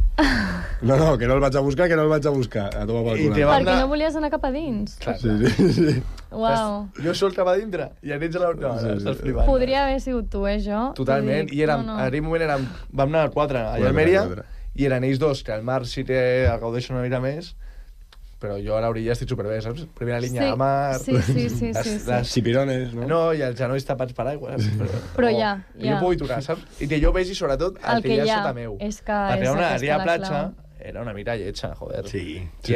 No, que no el vaig a buscar, a tomar pel I cul. te va- Perquè no volies anar cap a dins. Clar, Sí. Uau. Jo sol cap a dintre i anells a la... No, estàs flipant. Podria haver sigut tu, jo. Totalment, T'ho dic. i érem, No, en aquell moment vam anar a 4 a Almeria, i eren ells dos, que al mar sí que el gaudeixen una mica més, però jo a l'orilla estic superbé, saps? Primera línia Sí, de mar... sí. Chipirones, no? No, i els genolls tapats per aigua. Però ja. Que jo pugui tocar, saps? I que jo vegi, sobretot, el que hi ha sota meu. És que Perquè és una aquesta àrea la platja clau. era una mica lletja, joder. Sí. I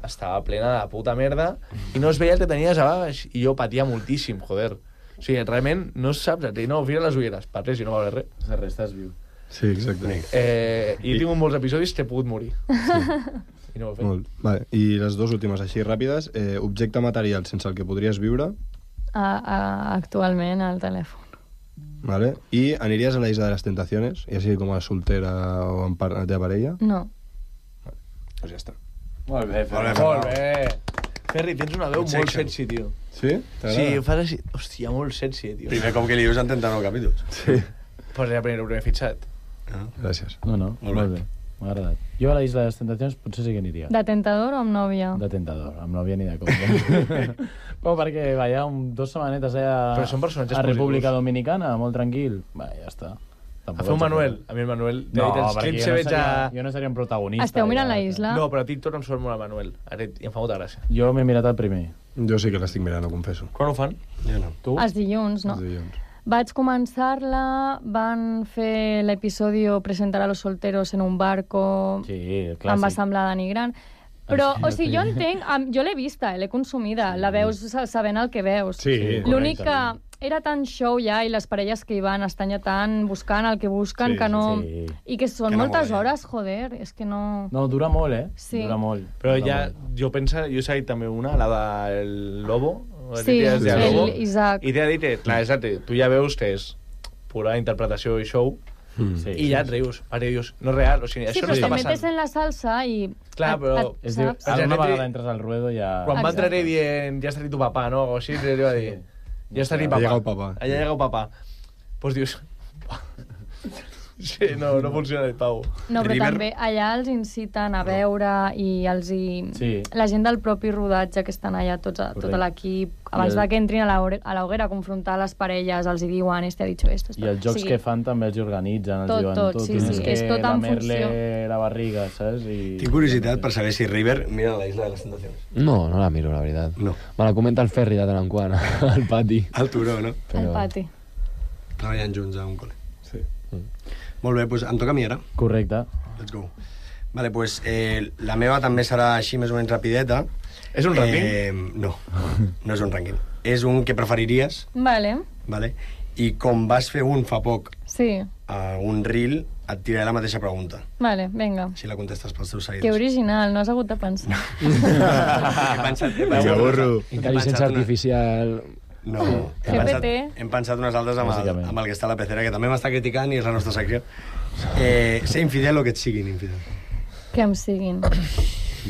estava plena de puta merda i no es veia el que tenies a baix i jo patia moltíssim, joder. O sigui, realment no saps, no, fira les ulleres, per res, si no va haver res. De res, estàs viu. Sí, exacte. I he tingut molts episodis que he pogut morir. I no ho he fet. Molt. Vale. I les dues últimes així ràpides. Objecte material sense el que podries viure. Actualment, al telèfon. Vale. I aniries a la Isla de les Tentaciones, ja sigui com a soltera o amb la teva parella? No. Doncs ja està. Molt bé, Molt bé. Ferri, tens una veu molt sexy, tio. Sí? Sí, ho fas així. Hòstia, molt sexy, tio. Primer cop que li dius en 39 capítols. Sí. Pues ja el primer fitxat. Gràcies. No, molt bé. M'ha agradat. Jo a la Isla de les Tentacions potser sí que aniria. De tentador o amb nòvia? De tentador, amb nòvia ni de compte. Però perquè va, ja 2 setmanetes allà Però són personatges a República positius. Dominicana, molt tranquil. Va, ja està. A fer un Manuel. A mi el Manuel... No, els perquè clips jo no, veig a... jo no seria un protagonista. Esteu mirant ja. la isla? No, però a TikTok em surt molt el Manuel. I em fa molta gràcia. Jo m'he mirat el primer. Jo sí que l'estic mirant, ho confesso. Quan ho fan? Jo no. Tu? Els dilluns, no? Els dilluns. Vaig començar-la, van fer l'episodi Presentar a los solteros en un barco, Sí, em clàssic. va semblar denigrant. Però, o sigui, jo entenc, jo l'he vista, l'he consumida, la veus sabent el que veus. Sí, L'únic que era tan show ja i les parelles que hi van estan ja tan buscant el que busquen que no... sí. I que són Que no moltes mola. hores, joder, és que no... No, dura molt, Sí. Dura molt. Però Dura ja, molt. jo penso, jo he seguit també una, la del Lobo. Sí, el Lobo, Isaac. I t'he dit, clar, exacte, tu ja veus que és pura interpretació i show, Sí, i ja et rius, perquè dius, no és real, o sigui, Sí, això però no te està metes passant. en la salsa i... Clar, però... Es diu, saps? una vegada entres al ruedo ja... Quan va entrar dient, ja està dit tu papà, no? O així, li va dir, ja està dit Ha papà. llegat papà. Ha llegat papà. Pues dius... Sí, no funciona el Pau. No, però també allà els inciten a veure i els Sí. la gent del propi rodatge que estan allà, tot l'equip, abans I el- de que entrin a la hoguera a confrontar les parelles, els hi diuen, este ha dicho esto. I els jocs que fan també els organitzen, els Tot, diuen tot, sí, tienes sí, que és tot en lamerle funció. la barriga, saps? I... Tinc curiositat per saber si River mira la Isla de les Tentaciones. No, no la miro, la veritat. No. Me la comenta el Ferri de tant en quant, al pati. Al turó, no? Al pati. Treballant junts a un col·le. Sí. Molt bé, doncs em toca a mi ara. Correcte. Let's go. Vale, pues, la meva també serà així més o menys rapideta. És un rànquing? No, no és un rànquing. És un que preferiries, Vale, vale? I com vas fer un fa poc sí, a un reel, et tiraré la mateixa pregunta. vale, vinga. Si la contestes pels teus Que seguidors. original, no has hagut de pensar. Intel·ligència artificial... No, GPT. hem pensat unes altres Bàsicament. amb el que està a la pecera, que també m'està criticant i és la nostra secció. Ser infidel o que et siguin infidel. Que em siguin.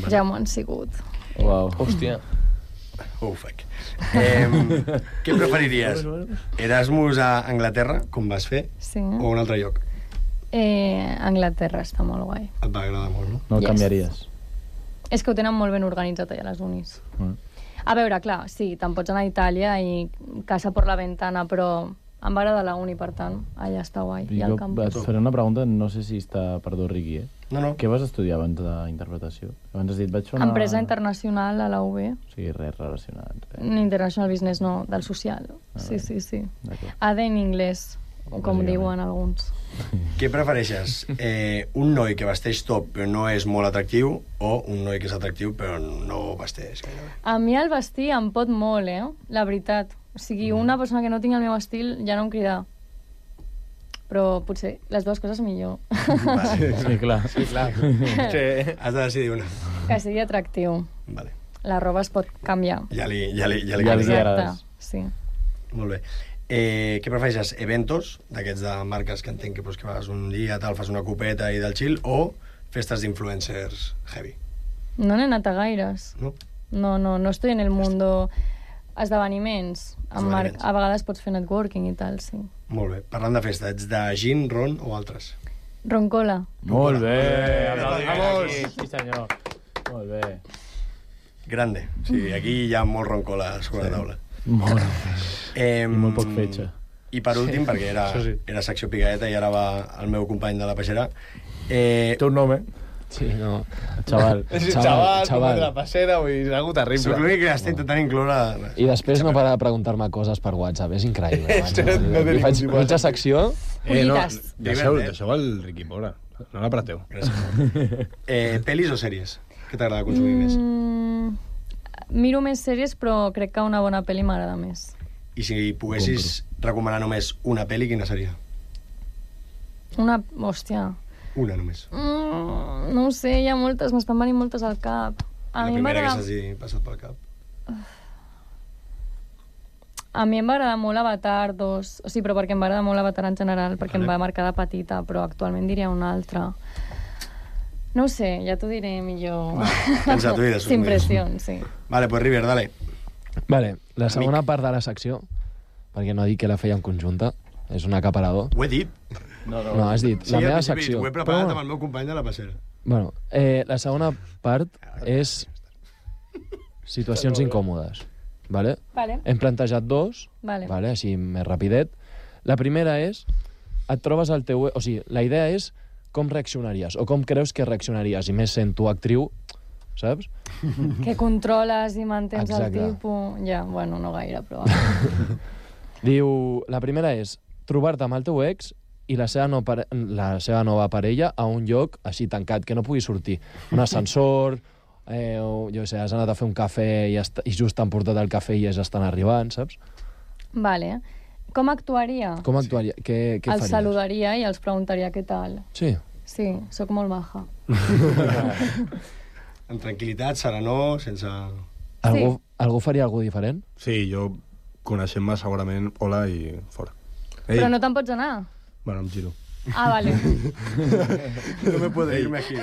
Ja m'ho han sigut. Uau. Hòstia. Oh, fuck. Què preferiries? Erasmus a Anglaterra, com vas fer, Sí. o un altre lloc? Anglaterra està molt guai. Et va agradar molt, no? No el Yes. canviaries. És que ho tenen molt ben organitzat allà a les unis. A veure, clar, sí, te'n pots anar a Itàlia i casa per la ventana, però em va agradar la uni, per tant, allà està guai. I Jo al et campus. faré una pregunta, no sé si està... Perdó, Riqui, No. Què vas estudiar abans d'interpretació? Abans has dit, vaig fer una... Empresa internacional a la UB. O sigui, res relacionat. International Business, no, del social. Sí, sí, sí. D'acord. AD en anglès, com Bàsicament. diuen alguns. Què prefereixes? Un noi que vesteix top però no és molt atractiu o un noi que és atractiu però no vesteix gairebé? A mi el vestir em pot molt, la veritat. O sigui, una persona que no tingui el meu estil ja no em crida. Però potser les dues coses millor. Sí, clar. Sí, clar. Sí. Has de decidir una. Que sigui atractiu. Vale. La roba es pot canviar. Ja li Ja li canvia. agrades. Sí. Molt bé. Què prefereixes? Eventos, d'aquests de marques que entenc que, pues, que vas un dia, tal, fas una copeta i del chill, o festes d'influencers heavy? No n'he anat a gaires. No? No estoy en el mundo... Esdeveniments. Esdeveniments. A vegades pots fer networking i tal, sí. Molt bé. Parlant de festa, ets de gin, ron o altres? Roncola. Molt bé. Vamos. Sí, senyor. Molt bé. Grande. Sí, aquí hi ha molt roncola sobre la taula. Molt. I molt poc fetge. I per últim, perquè Això sí. era secció picaeta i ara va el meu company de la peixera, Té un nom, Sí, no. Xaval. Com de la passera, vull dir, és algo terrible. soc l'únic que està intentant incloure... I després no para de preguntar-me coses per WhatsApp, és increïble. No té Li faig ningú tipus de mitja secció... Collites. Deixeu el Riqui Mora. No l'apreteu. Pel·lis o sèries? Què t'agrada consumir més? Miro més sèries, però crec que una bona pel·li m'agrada més. I si poguessis recomanar només una pel·li, quina seria? Una... Hòstia. Una només. No ho sé, hi ha moltes, m'estan venint moltes al cap. La primera que s'hagi passat pel cap. A mi em va agradar molt Avatar 2, o sigui, però perquè em va agradar molt Avatar en general, perquè em va marcar de petita, però actualment diria una altra. No ho sé, ja t'ho diré millor. Pensa tu i després Sin mires. pressió, sí. Vale, pues River, dale. Vale, la segona part de la secció, perquè no dic que la fèiem conjunta, és un acaparador. Ho he dit. No, has dit, la meva secció. Ho he preparat amb el meu company de la passera. Bueno, la segona part és situacions incòmodes. Vale? Vale. Hem plantejat dos, Vale. vale, així més rapidet. La primera és, et trobes al teu... O sigui, la idea és com reaccionaries, o com creus que reaccionaries, i més sent tu actriu, saps? Que controles i mantens Exacte. el tipus... Ja, bueno, no gaire, però... Diu, la primera és trobar-te amb el teu ex i la seva nova parella a un lloc així tancat, que no pugui sortir. Un ascensor, o, jo sé, has anat a fer un cafè i just t'han portat el cafè i ja estan arribant, saps? Vale. Com actuaria? Com actuaria? Què faries? Els saludaria i els preguntaria què tal. Sí? Sí, sóc molt maja. Amb tranquil·litat, serenor, sense... Algú faria alguna diferent? Sí, jo, coneixent-me segurament, hola i fora. Però no te'n pots anar? Bueno, em giro. Ah, vale. No me puedo irme aquí.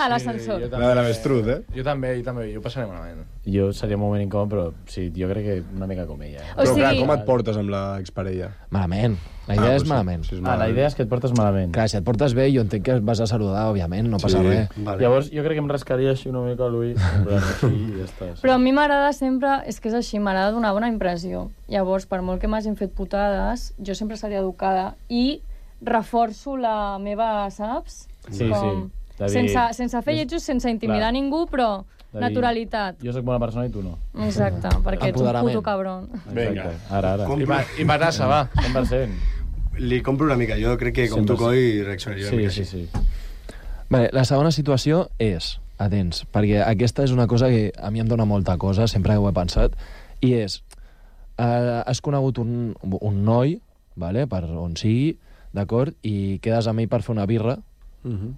A l'ascensor. La de l'avestruz, Jo també, jo ho passaré malament. Jo seria un moment incòmode, però sí, jo crec que una mica com ella. Però clar, com et portes amb l'exparella? Malament. La idea és malament. La idea és que et portes malament. Clar, si et portes bé, jo entenc que vas a saludar, òbviament, no passa res. Vale. Llavors, jo crec que em rascaria així una mica a l'ull, així i ja està. Però a mi m'agrada sempre, és que és així, m'agrada donar bona impressió. Llavors, per molt que m'hagin fet putades, jo sempre seria educada i reforço la meva, saps? Sí, com... sí. Sense fer lletjos, sense intimidar ningú, però naturalitat. Jo sóc bona persona i tu no. Exacte, perquè ets un puto cabron. Vinga, ara. I Manassa, va. 100%. Li compro una mica, jo crec que com tu, Coi, reaccionaria una mica així. Sí. Vale, la segona situació és, atents, perquè aquesta és una cosa que a mi em dona molta cosa, sempre ho he pensat, i és, has conegut un noi, vale, per on sigui, d'acord, i quedes amb ell per fer una birra,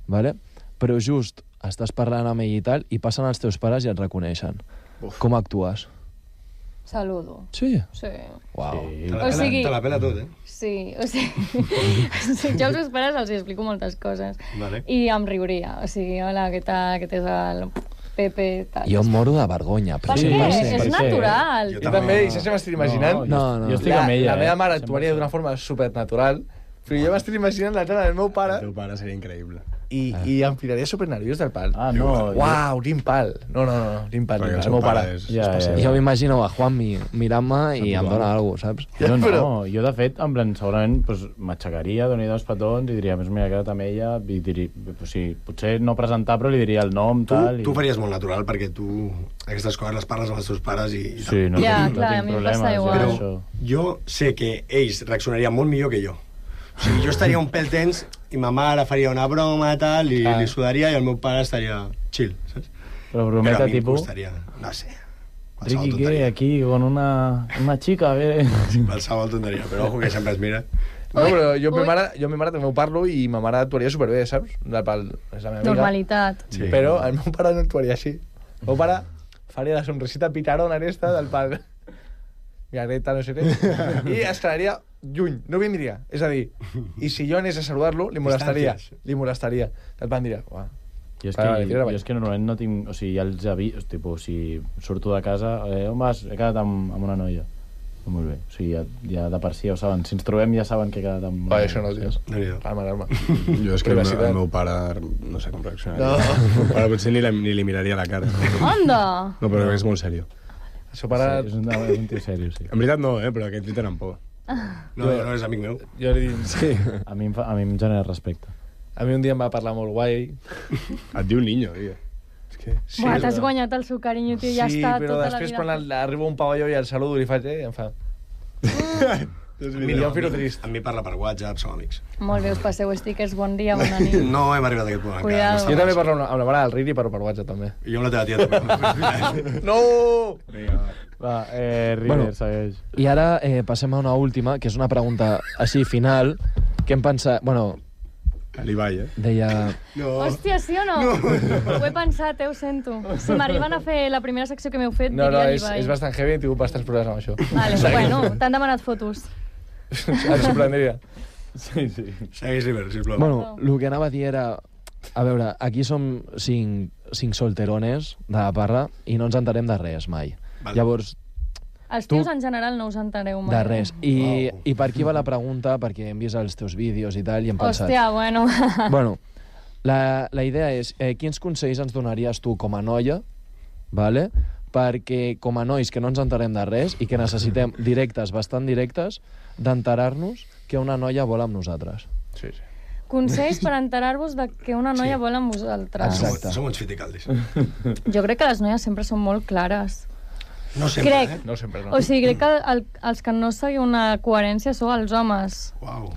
vale? Però just estàs parlant amb ell i tal, i passen els teus pares i et reconeixen. Com actues? Saludo. Sí? Sí. Uau. Te la pela tot, Sí, o sigui, jo als meus pares els explico moltes coses. Vale. I em riuria. O sigui, hola, què tal, aquest és el Pepe, tal. Jo em moro de vergonya. Per què? És natural. Jo també, i saps què m'estic imaginant? No. Jo estic amb ella. La meva mare actuaria d'una forma supernatural, però jo m'estic imaginant la cara del meu pare... El teu pare seria increïble. I em tiraria supernerviós del pal. Ah, no. Uau, quin pal. No, quin pal. El meu pare. Jo m'imagino a Juanmi mirant-me i em dona alguna cosa, saps? Jo de fet, en plan, segurament m'aixecaria, donaria dos petons i diria, mira, queda't amb ella, i diria, potser no presentar, però li diria el nom, tal... Tu faries molt natural, perquè tu aquestes coses les parles amb els teus pares i tal. Sí, no tinc problemes. Però jo sé que ells reaccionarien molt millor que jo. O sigui, jo estaria un pèl tens i ma mare faria una broma tal, i li sudaria i el meu pare estaria chill, saps? Però brometa a mi tipus... em costaria, no sé, Ricky, ¿qué? Aquí con una chica, a ver... Qualsevol tonteria, però ojo que sempre es mira. No, però jo amb ma mare també ho parlo i ma mare actuaria superbé, saps? És la meva amiga. Normalitat. Sí. Però el meu pare no actuaria així. El meu pare faria la sonrisita picarona aquesta del pal. Mira, Greta, no sé què. I es quedaria lluny, no vindria. És a dir, i si jo anés a saludar-lo, li molestaria. El pan diria, uah. Jo és que normalment no tinc... O sigui, ja els aviso, tipus, si surto de casa, on vas? He quedat amb una noia. Molt bé. O sigui, ja de per si ja ho saben. Si ens trobem ja saben que he quedat amb... Això no, tio. Calma. Jo és que el meu pare no sé com reaccionaria. El pare potser ni li miraria la cara. Anda! No, però és molt seriós. El seu pare... És un tio seriós, sí. En veritat no, però aquests li tenen por. No és amic meu. Jo li dic... Sí. A mi em genera respecte. A mi un dia em va parlar molt guai. Et diu niño, tio. Sí, t'has guanyat el seu carinyo, tio, ja està tota la vida. Sí, però després quan arriba un pavelló i el saludo i li faig, em fa... Mira, jo em trist. Amb mi parla per WhatsApp, som amics. Molt bé, us passeu stickers, bon dia, bona nit. No hem arribat a aquest punt encara. Cuidado. Jo també parlo amb la mare del Riri, però per WhatsApp també. I jo amb la teva tia també. No! Va, River, segueix. I ara passem a una última, que és una pregunta així final, que hem pensat... Bueno, l'Ibai, deia... No. Hòstia, sí o no? Ho he pensat, ho sento. Si m'arriben a fer la primera secció que m'heu fet, diria l'Ibai. És bastant heavy, he tingut bastants problemes amb això. Vale, bueno, t'han demanat fotos. Em sorprendria. Sí. Segueix, River, sisplau. Bueno, el que anava a dir era... A veure, aquí som cinc solterones de la parra i no ens enterem de res mai. Vale. Llavors... Els tios en general no us entereu mai. De res. I per aquí va la pregunta, perquè hem vist els teus vídeos i tal, i hem pensat... Hòstia, bueno... Bueno, la idea és, quins consells ens donaries tu com a noia, vale? Perquè com a nois que no ens enterem de res i que necessitem bastant directes, d'enterar-nos que una noia vol amb nosaltres. Sí. Consells per enterar-vos de que una noia vol amb vosaltres. Exacte. Som uns fiticaldis. Jo crec que les noies sempre són molt clares. No sempre, crec. No sempre, no. O sigui, crec que els que no seguiu una coherència sou els homes. Uau.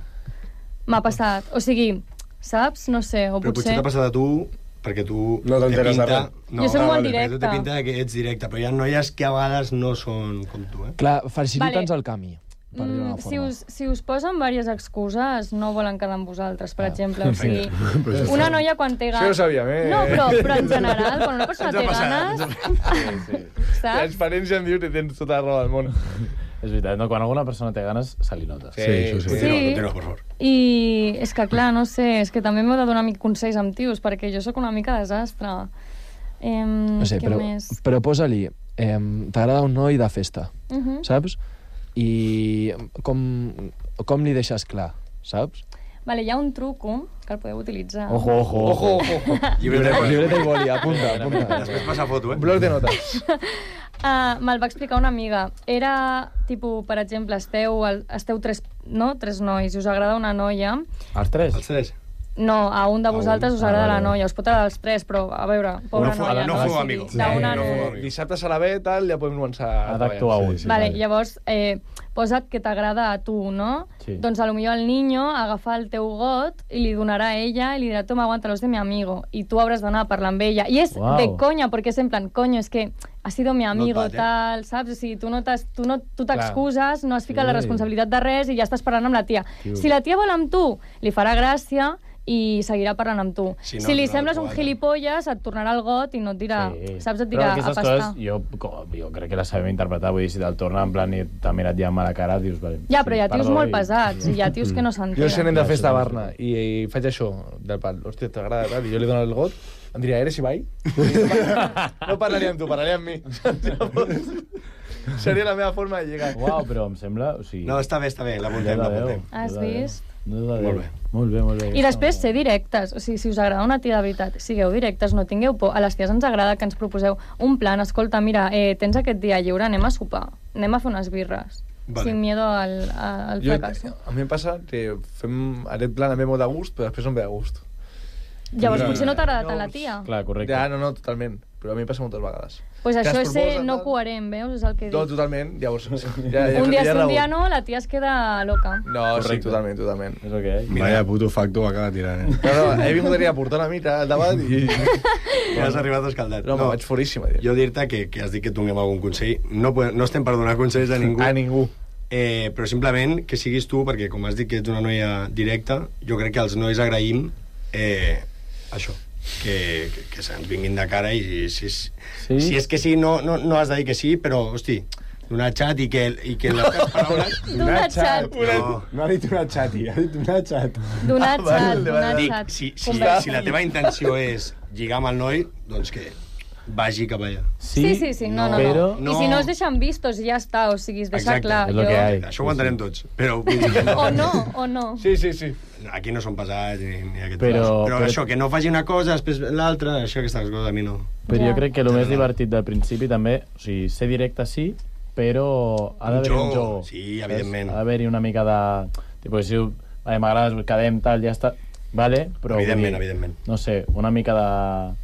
M'ha passat. O sigui, saps? No sé, o Però potser potser... t'ha passat a tu perquè tu No t'enteres de res. Jo soc molt directa. Tu té pinta que ets directa, però hi ha noies que a vegades no són com tu, Clar, facilita'ns Vale. el camí, per dir-ho d'una forma. Si us posen diverses excuses, no volen quedar amb vosaltres, per exemple. O sigui, una noia quan té Això ganes... ho sabíem, eh? No, però en general, quan una persona té ganes... Saps? Transparència em diu que tens tota la raó del món. És veritat, no? Quan alguna persona té ganes, se li nota. Sí. Continua, per favor. I és que, clar, no sé, és que també m'heu de donar consells amb tios, perquè jo sóc una mica desastre. No sé, què però, més? però posa-li, t'agrada un noi de festa, saps? I com li deixes clar, saps? Vale, hi ha un truco que el podeu utilitzar. Ojo. Llibreta i boli, apunta. Després passa foto, Un bloc de notes. Me'l va explicar una amiga. Era, tipus, per exemple, esteu tres nois i us agrada una noia. Els tres? Els tres. No, a un de vosaltres us agrada la noia. Us pot agradar els tres, però, a veure, pobra noia. No feu O sigui, amigos. d'una No feu no. amigos. Dissabte a la B, tal, ja podem començar a Ha d'actuar un. Vale, llavors, posa't que t'agrada a tu, no? Sí. Doncs a lo millor el niño agafa el teu got i li donarà a ella i li dirà, toma, aguántalos de mi amigo. I tu hauràs d'anar a parlar amb ella. I és Uau. de conya, perquè és en plan, coño, és que ha sido mi amigo, No et bat, tal, saps? O sigui, tu t'excuses, no has ficat la Sí. responsabilitat de res i ja estàs parlant amb la tia. Tio. Si la tia vol amb tu, li farà gràcia i seguirà parlant amb tu. Si no, Si li no, sembles un quadra. gilipolles, et tornarà el got i no et dirà, saps? Et Però dirà a aquestes pastar. coses jo crec que les sabem interpretar. Vull dir, si te'l torna en plan i t'ha mirat ja amb la cara, dius... Vale, Ja, però hi ha tios perdó molt i- pesats i hi ha tios que no Jo si anem s'entenen. de festa a Barna i faig això, del pal, hòstia, t'agrada, tal, i jo li dono el got, em diria, eres Ibai? No parlaria amb tu, parlaria amb mi. Seria la meva forma de llegar. Uau, però em sembla... O sigui, No, està bé, l'apuntem, l'apuntem. Has vist? Molt bé. Molt bé. I després ser directes, o sigui, si us agrada una tia de veritat, sigueu directes, no tingueu por. A les ties ens agrada que ens proposeu un plan, escolta, mira, tens aquest dia lliure, anem a sopar, anem a fer unes birres, Vale. sin miedo al fracàs. A mi em passa que fem aquest plan a mi molt de gust, però després no em ve de gust. Llavors Clar. potser no t'agrada tant la tia. Clar, correcte. Ja, no, totalment. Però a mi em passa moltes vegades. Pues Que això es és ser proposa, no tal. coherent, veus? És el que No, dic. totalment. Llavors, Un dia sí, un dia no, la tia es queda loca. No, Correcte. sí, totalment. És el que hi ha. Vaya puto facto acaba tirant, No, he vingut aquí a portar una mica al debat i... Ja has arribat escaldat. No, vaig foríssima. Jo dir-te que has dit que et donem algun consell. No estem per donar consells a ningú. A ningú. Però simplement que siguis tu, perquè com has dit que ets una noia directa, jo crec que els nois agraïm això, que se'ns vinguin de cara i si és que sí, no has de dir que sí, però, hosti, donar xat i que les teves paraules... Donar xat. No ha dit una xati, ha dit una xat. Donar xat, donar Dic, xat. si la teva intenció és lligar amb el noi, doncs que vagi cap allà. Sí, no. però- I si no es deixen vistos i ja està, o sigui, es deixa Exacte, clar. és lo que hi ha. Això ho entenem tots, però... O no. Sí. Aquí no són pesats ni aquest Però això, que no faci una cosa, després l'altra, això, aquestes coses a mi no... Però Ja. jo crec que el més divertit del principi també, o sigui, ser directe sí, però ha d'haver un joc. Sí, evidentment. Ha d'haver-hi una mica de... Tipo, si m'agrades, quedem, tal, ja està... Vale, però... Evidentment. No sé, una mica de...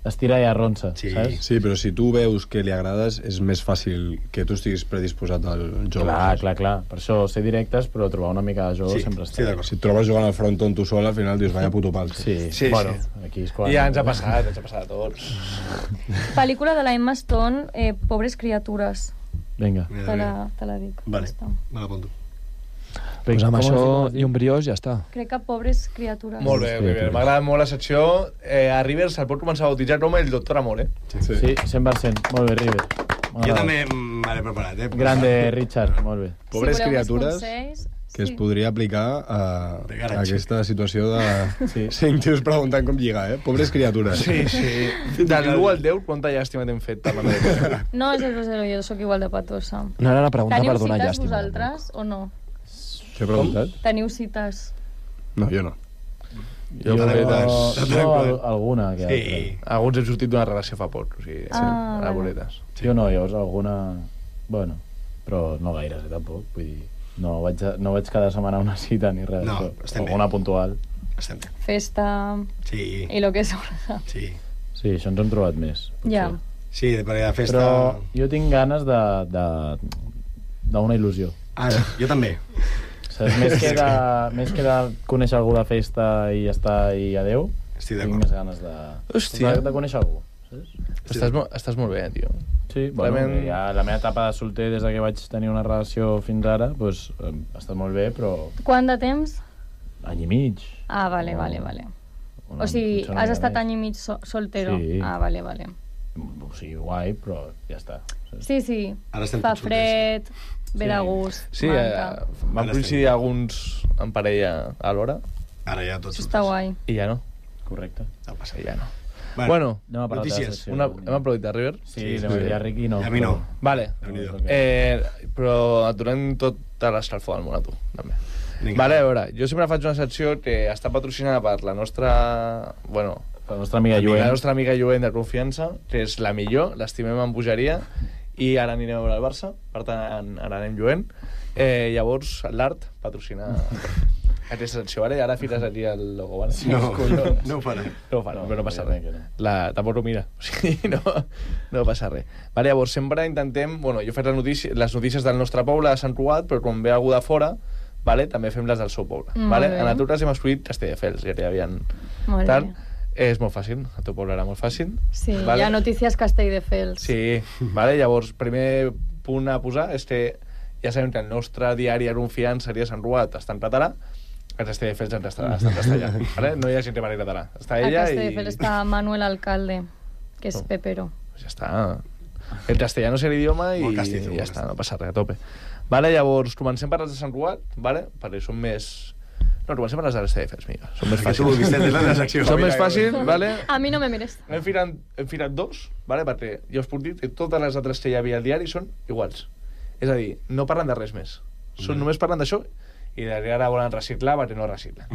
Estirar i arronsa, saps? Sí, però si tu veus que li agrades, és més fàcil que tu estiguis predisposat al joc. Clar. Per això ser directes, però trobar una mica de joc sempre està. Si et trobes jugant al fronton tu sol, al final dius, vaya puto pal. Sí, bueno, aquí és quan... Ja ens ha passat a tots. Pel·lícula de la Emma Stone, Pobres criatures. Vinga. Te la dic. Vale, Ja està. me l'apunto. Pues amb Com això es diu? i un briós ja està. Crec que Pobres criatures. Molt bé, River. M'agrada molt la secció. A River se'l pot començar a bautitzar com el doctor Amor, Sí, 100%. Molt bé, River. Jo també m'he preparat, Grande, Richard. Molt bé. Pobres Si voleu més criatures consells, que es podria aplicar a garatge. aquesta situació de Sí. 5 tios preguntant com lligar, Pobres criatures. Sí. De l'1 al 10, quanta llàstima t'hem fet parlant de No, és el 0, jo sóc igual de patosa. No era una pregunta Teniu per donar cites llàstima. vosaltres o no? Què he preguntat? Teniu cites? No, jo no. Jo alguna. Que Sí. Alguns hem sortit d'una relació fa poc, o sigui, Ah, a vale. boletes. Jo no, llavors alguna... Bueno, però no gaires, tampoc. Vull dir, no vaig cada setmana a una cita ni res. No, però estem bé. alguna puntual. Estem bé. Festa Sí, i lo que sobra. sí. Sí, això ens hem trobat més. potser. Ja. Sí, perquè la festa... Però jo tinc ganes d'una il·lusió. Ah, jo també. Saps? Més que de conèixer algú de festa i ja està, i adeu, tinc més ganes de conèixer algú. Estàs molt bé, tio. Sí, bueno, ja la meva etapa de solter des que vaig tenir una relació fins ara, doncs ha estat molt bé, però... Quant de temps? Any i mig. Ah, vale. O sigui, has estat any i mig soltero? Sí. Ah, vale. O sigui, guai, però ja està. Sí. Fa fred, ve de gust. Sí, van coincidir alguns en parella a l'hora. Ara ja tots. Això està guai. I ja no. Correcte. No passa, ja no. Bueno, notícies. Hem aplaudit a River? Sí, a Ricky no. A mi no. Vale. Però et donem tota l'escalfor del món a tu, també. Vale, a veure, jo sempre faig una secció que està patrocinada per la nostra... Bueno, la nostra amiga Lluent. La nostra amiga Lluent de confiança, que és la millor, l'estimem amb bogeria, i ara anirem a veure el Barça, per tant, ara anem Lluent. Llavors, l'Art patrocina aquesta secció, vale? Ara files aquí el logo, vale? No ho farà. No ho farà, però no passa res. Tampoc ho mira, o sigui, no passa res. Vale, llavors, sempre intentem... Bueno, jo faig les notícies del nostre poble, de Sant Cugat, però quan ve algú de fora, vale, també fem les del seu poble. Vale? En nosaltres hem escollit Castelldefels, ja hi havia... Molt bé. És molt fàcil, el teu poble era molt fàcil. Sí, vale? hi ha notícies Castelldefels. Sí, vale? Llavors, primer punt a posar és que ja sabem que el nostre diari de confiança seria Sant Cugat, està en català, el Castelldefels està en castellà. Vale? No hi ha gent que parli català. Està ella a Castelldefels està Manuel Alcalde, que és Pepero. Ja està. El castellano és l'idioma i ja està, no passa res, a tope. Vale, llavors, comencem per les de Sant Cugat, vale? Perquè són més... No, comencem per les de l'Estefels, mica. Són més fàcils. Són més fàcils, vale? A mi no me mires. Hem firat dos, vale? Perquè ja us puc dir que totes les altres que hi havia al diari són iguals. És a dir, no parlen de res més. Només parlen d'això i ara volen reciclar perquè no reciclen.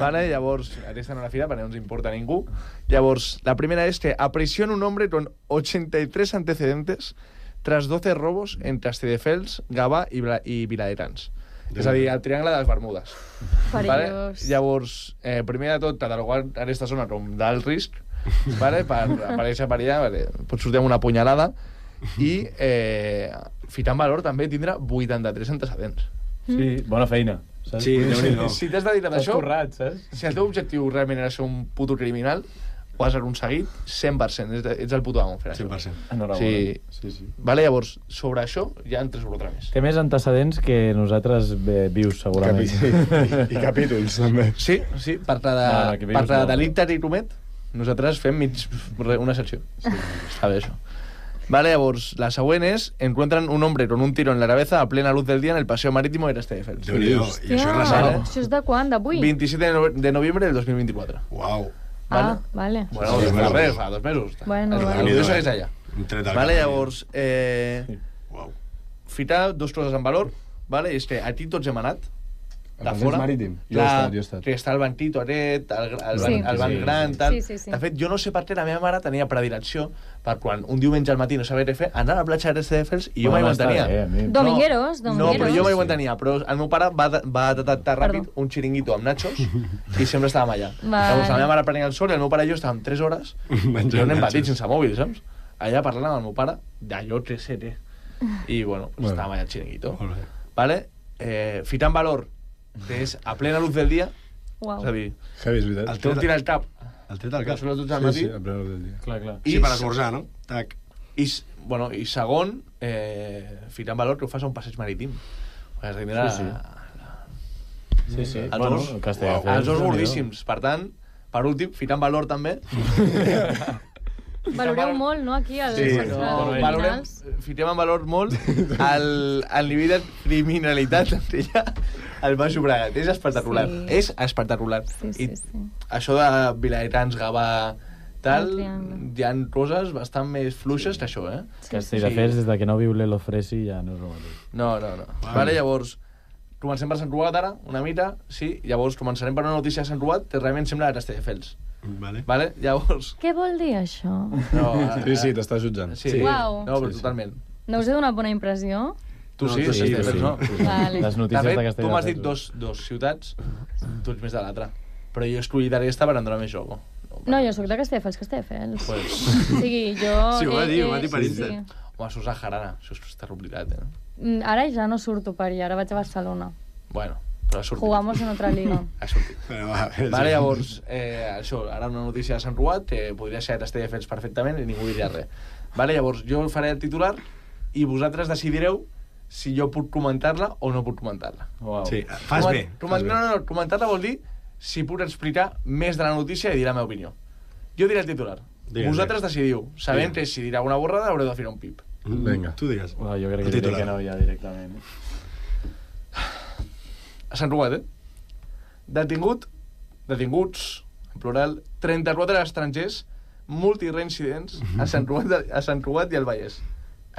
Vale? Llavors, aquesta no la fira perquè no ens importa a ningú. Llavors, la primera és que aprisiona un hombre con 83 antecedentes tras 12 robos en Castelldefels, Gavà i Viladerans. És a dir, el triangle de les Bermudes. Vale? Llavors, primer de tot, catalogar aquesta zona com d'alt risc, vale? Per aparèixer per allà, vale? Pot sortir amb una punyalada i ficar en valor també tindre 83 antecedents. Sí, bona feina. Saps? Sí, si t'has dedicat a això, currat, saps? Si el teu objectiu realment era ser un puto criminal, ho has aconseguit 100%, ets el puto amo fer això. 100%. Enhorabona. Sí. Vale, llavors, sobre això ja en 3 o 4 més. Té més antecedents que nosaltres vius, segurament. I capítols, també. Sí, per la delicte i comet, nosaltres fem una secció. Està bé, això. Vale, llavors, la següent és: encuentran un hombre con un tiro en la cabeza a plena luz del día en el paseo marítimo de Castelldefels. Déu-n'hi-do. I això és recent. Això és de quan? D'avui? 27 de noviembre del 2024. Uau. Ah, vale. Bueno, fa 2 mesos. Bueno, vale. Això és allà. Vale, llavors, ficar 2 coses en valor, vale? És que aquí tots hem anat, de fora. Marítim. Jo he estat. Que està el banquito aquest, el banc gran, tal. Sí. De fet, jo no sé per què la meva mare tenia predilecció per quan un diumenge al matí no sabia què fer, anar a la platja de Castelldefels i jo mai ho entenia. Domingueros. No, però jo mai ho entenia. Però el meu pare va detectar ràpid un xiringuito amb nachos i sempre estàvem allà. Llavors la meva mare prenia el sol i el meu pare i jo estàvem 3 hores i un petits sense mòbil, saps? Allà parlant amb el meu pare d'allò que sé què. I, bueno, estàvem allà al xiringuito. Vale? Ficar en valor que és a plena luz del dia. Uau. És a dir, Heavy, és veritat. el teu tira al cap. El tret al cap. Són les 12 del matí. Sí, a plena luz del dia. Clar. Sí, per esmorzar, no? Tac. I segon, ficar en valor que ho fas a un passeig marítim. Sí. Els dos gordíssims. Per tant, per últim, ficar en valor també. Valoreu molt, no, aquí, els criminals. Fiquem en valor molt el nivell de criminalitat que hi ha al Baix Llobregat. És espectacular. És espectacular. Sí. Això de Viladerans, Gavà, tal, hi ha coses bastant més fluixes que això, eh? Castelldefels, des que no viu l'Elo Fresi, ja no és el mateix. No. Vale, llavors, comencem per Sant Cugat ara, una mica, sí, llavors començarem per una notícia de Sant Cugat que realment sembla de Castelldefels. Vale, llavors... Què vol dir això? No, sí, t'estàs jutjant. Sí. Uau. No, però totalment. No us he donat bona impressió? Tu sí, no? Vale. Les notícies de Castelldefels. Tu m'has dit dos ciutats, tu ets més de l'altra. Però jo he escollit aquesta per donar més joc. No, jo sóc de Castelldefels, Castelldefels. Pues... O sigui, jo... Sí, ho va dir per Insta. Home, sos a Jarana, això està oblidat, Ara ja no surto per allà, ara vaig a Barcelona. Bueno, però ha sortit. Jugamos en otra liga. Ha sortit. Vale, llavors, això, ara una notícia de Sant Ruat, podria ser de Castelldefels perfectament i ningú diria res. Vale, llavors, jo faré el titular i vosaltres decidireu si jo puc comentar-la o no puc comentar-la. Wow. Sí, fas bé. No, comentar-la vol dir si puc explicar més de la notícia i dir la meva opinió. Jo diré el titular. Vosaltres decidiu. Sabent que si dirà una borrada haureu de fer un pip. Vinga. Tu digues. Jo crec que diré que no ja directament. A Sant Ruat, Detinguts, en plural, 34 estrangers multireincidents a Sant Ruat i al Vallès.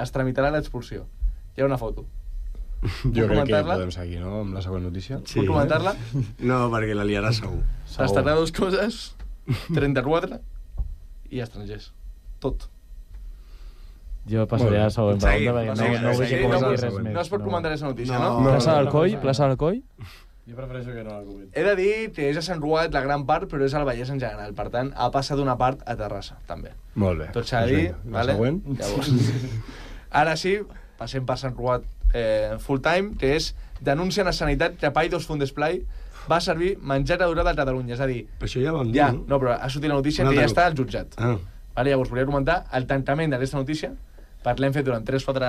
Es tramitarà l'expulsió. Hi ha una foto. Jo crec que podem seguir, no?, amb la següent notícia. Sí. Puc comentar-la? No, perquè la liarà segur. Estarà dues coses, 34 i estrangers. Tot. Jo passaré a la següent pregunta, perquè no vull que comenti res més. No es pot comentar aquesta notícia, no? Plaça del Coi? Jo prefereixo que no la comenti. He de dir que és a Sant Ruat la gran part, però és al Vallès en general. Per tant, ha passat d'una part a Terrassa, també. Molt bé. Tot s'ha de dir. La següent? Llavors, ara sí, passem per Sant Ruat full time, que és denuncien a Sanitat que Paidos Food Display va servir menjar adorat a Catalunya. És a dir... Però això ja vam dir, no? No, però ha sortit la notícia que ja està al jutjat. Vale, llavors, volia comentar el tancament d'aquesta notícia. L'hem fet durant 3-4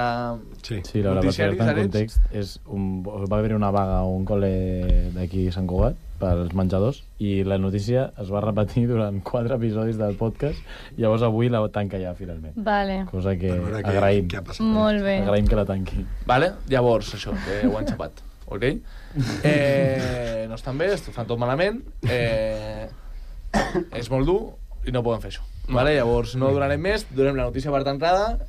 Sí, la veritat, per en context, va haver una vaga a un col·le d'aquí a Sant Cugat pels menjadors i la notícia es va repetir durant 4 episodis del podcast i llavors avui la tanca ja, finalment. Vale. Cosa que agraïm. Molt bé. Agraïm que la tanqui. Vale, llavors, això, ho han xapat. Ok? No estan bé, fan tot malament. És molt dur i no poden fer això. Vale, llavors no durarem més, durem la notícia per tancada,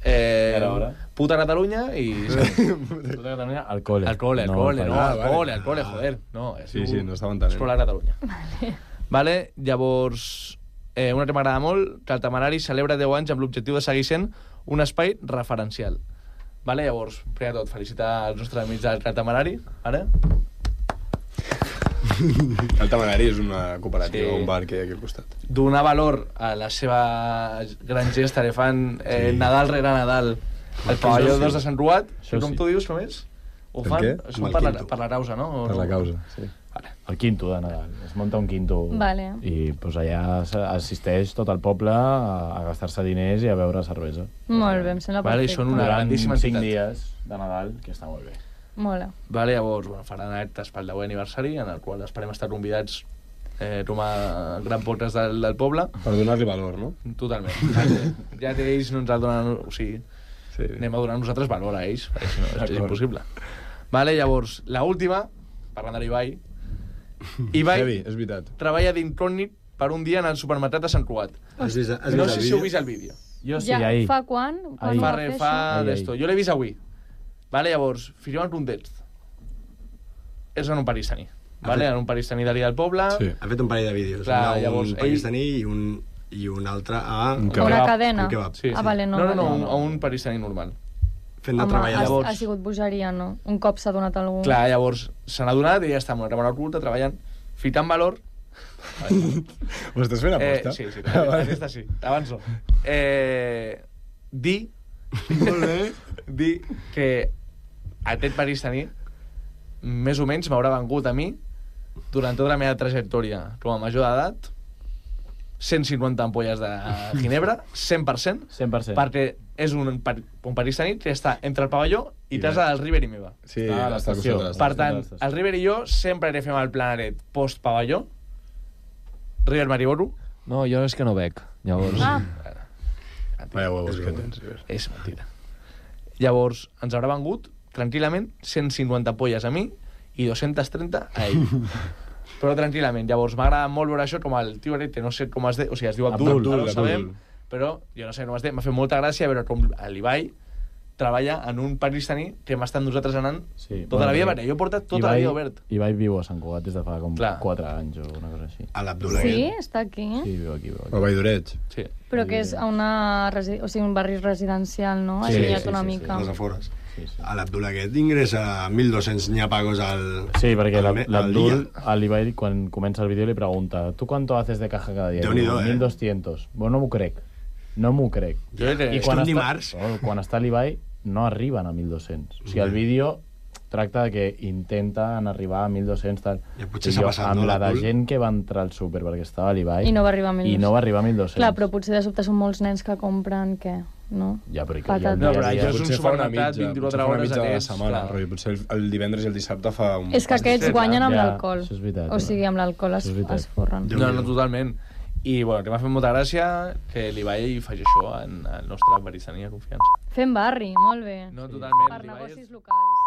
puta Catalunya i... Puta Catalunya al cole. Al cole, joder. No, sí, no estava entenent. Escolar Catalunya. Vale, llavors, una que m'agrada molt, que el Temerari celebra 10 anys amb l'objectiu de seguir sent un espai referencial. Vale, llavors, primer de tot, felicitar els nostres amics del Temerari, vale? El Temerari és una cooperativa, un bar que hi ha aquí al costat. Donar valor a la seva gran gesta que fan Nadal rere Nadal al pavelló 2 de Sant Ruat. Com tu dius, com és? Ho fan per la causa, no? Per la causa, sí. El quinto de Nadal. Es munta un quinto i allà assisteix tot el poble a gastar-se diners i a beure cervesa. Molt bé, em sembla perfecte. I són una grandíssima entitat. 5 dies de Nadal, que està molt bé. Mola. Vale, llavors, faran actes pel 10è aniversari, en el qual esperem estar convidats com a gran podcast del poble. Per donar-li valor, no? Totalment. Ja que ells no ens el donen... O sigui, anem a donar nosaltres valor a ells, perquè si no és impossible. Vale, llavors, l'última, parlant de l'Ibai. Ibai és veritat. Treballa d'incògnit per un dia en el supermercat de Sant Cugat. No sé si heu vist el vídeo. Jo sí, ahir. Fa quan? Fa d'esto. Jo l'he vist avui. Vale, llavors, firmem un context. És en un pakistaní. Vale, en un pakistaní d'allà del poble. Sí. Ha fet un parell de vídeos. Un pakistaní i un altre a... Una cadena. Sí. Vale, no. No, a un pakistaní normal. Fent de treballar. Ha sigut bogeria, no? Un cop s'ha donat algú... Clar, llavors se n'ha donat i ja està amb una càmera oculta treballant, fitant valor... Ho estàs fent aposta? Sí, aquesta sí. Avanço. Dir que aquest pakistaní més o menys m'haurà vengut a mi durant tota la meva trajectòria com a major d'edat 150 ampolles de ginebra, 100%, perquè és un pakistaní que està entre el pavelló i casa del River i meva. Sí, a l'estació. Per tant, el River i jo sempre que fem el planaret post-pavelló, River Mariboro. No, jo és que no bec, llavors... Vaya huevos que tens, River. És mentida. Llavors, ens haurà vengut, tranquil·lament, 150 polles a mi i 230 a ell. Però tranquil·lament. Llavors, m'agrada molt veure això com el tio que no sé com es diu, o sigui, es diu Abdul, no ho sabem, però jo no sé com es diu. M'ha fet molta gràcia veure com l'Ibai treballa en un pakistaní que hem estat nosaltres anant tota la vida, perquè jo he portat tota la vida obert. Ibai viu a Sant Cugat des de fa com 4 anys o una cosa així. A l'Abdul. Sí? Està aquí? Sí, viu aquí. A Valldoreig. Sí. Però que és un barri residencial, no? Sí, allunyat una mica. A les afores. A l'Abdul aquest ingressa 1.200 nyapagos al... Sí, perquè l'Abdul, a l'Ibai, quan comença el vídeo, li pregunta ¿tú cuánto haces de caja cada día? Déu-n'hi-do, 1.200. Bueno, no m'ho crec. No m'ho crec. I quan està l'Ibai, no arriben a 1.200. O sigui, el vídeo tracta de que intenten arribar a 1.200 tal. I potser s'ha passat, amb la de gent que va entrar al súper perquè estava a l'Ibai i no va arribar a 1.200. I no va arribar a 1.200. Clar, però potser de sobte són molts nens que compren, què? No? Ja, però això és un supermercat 24 hores a temps. Potser el divendres i el dissabte fa un... És que aquests guanyen amb l'alcohol. Això és veritat. O sigui, amb l'alcohol es forren. No, totalment. I, bueno, que m'ha fet molta gràcia que l'Ibai faci això en el nostre Berissaní de confiança. Fem barri, molt bé. No, totalment. Per negocis locals.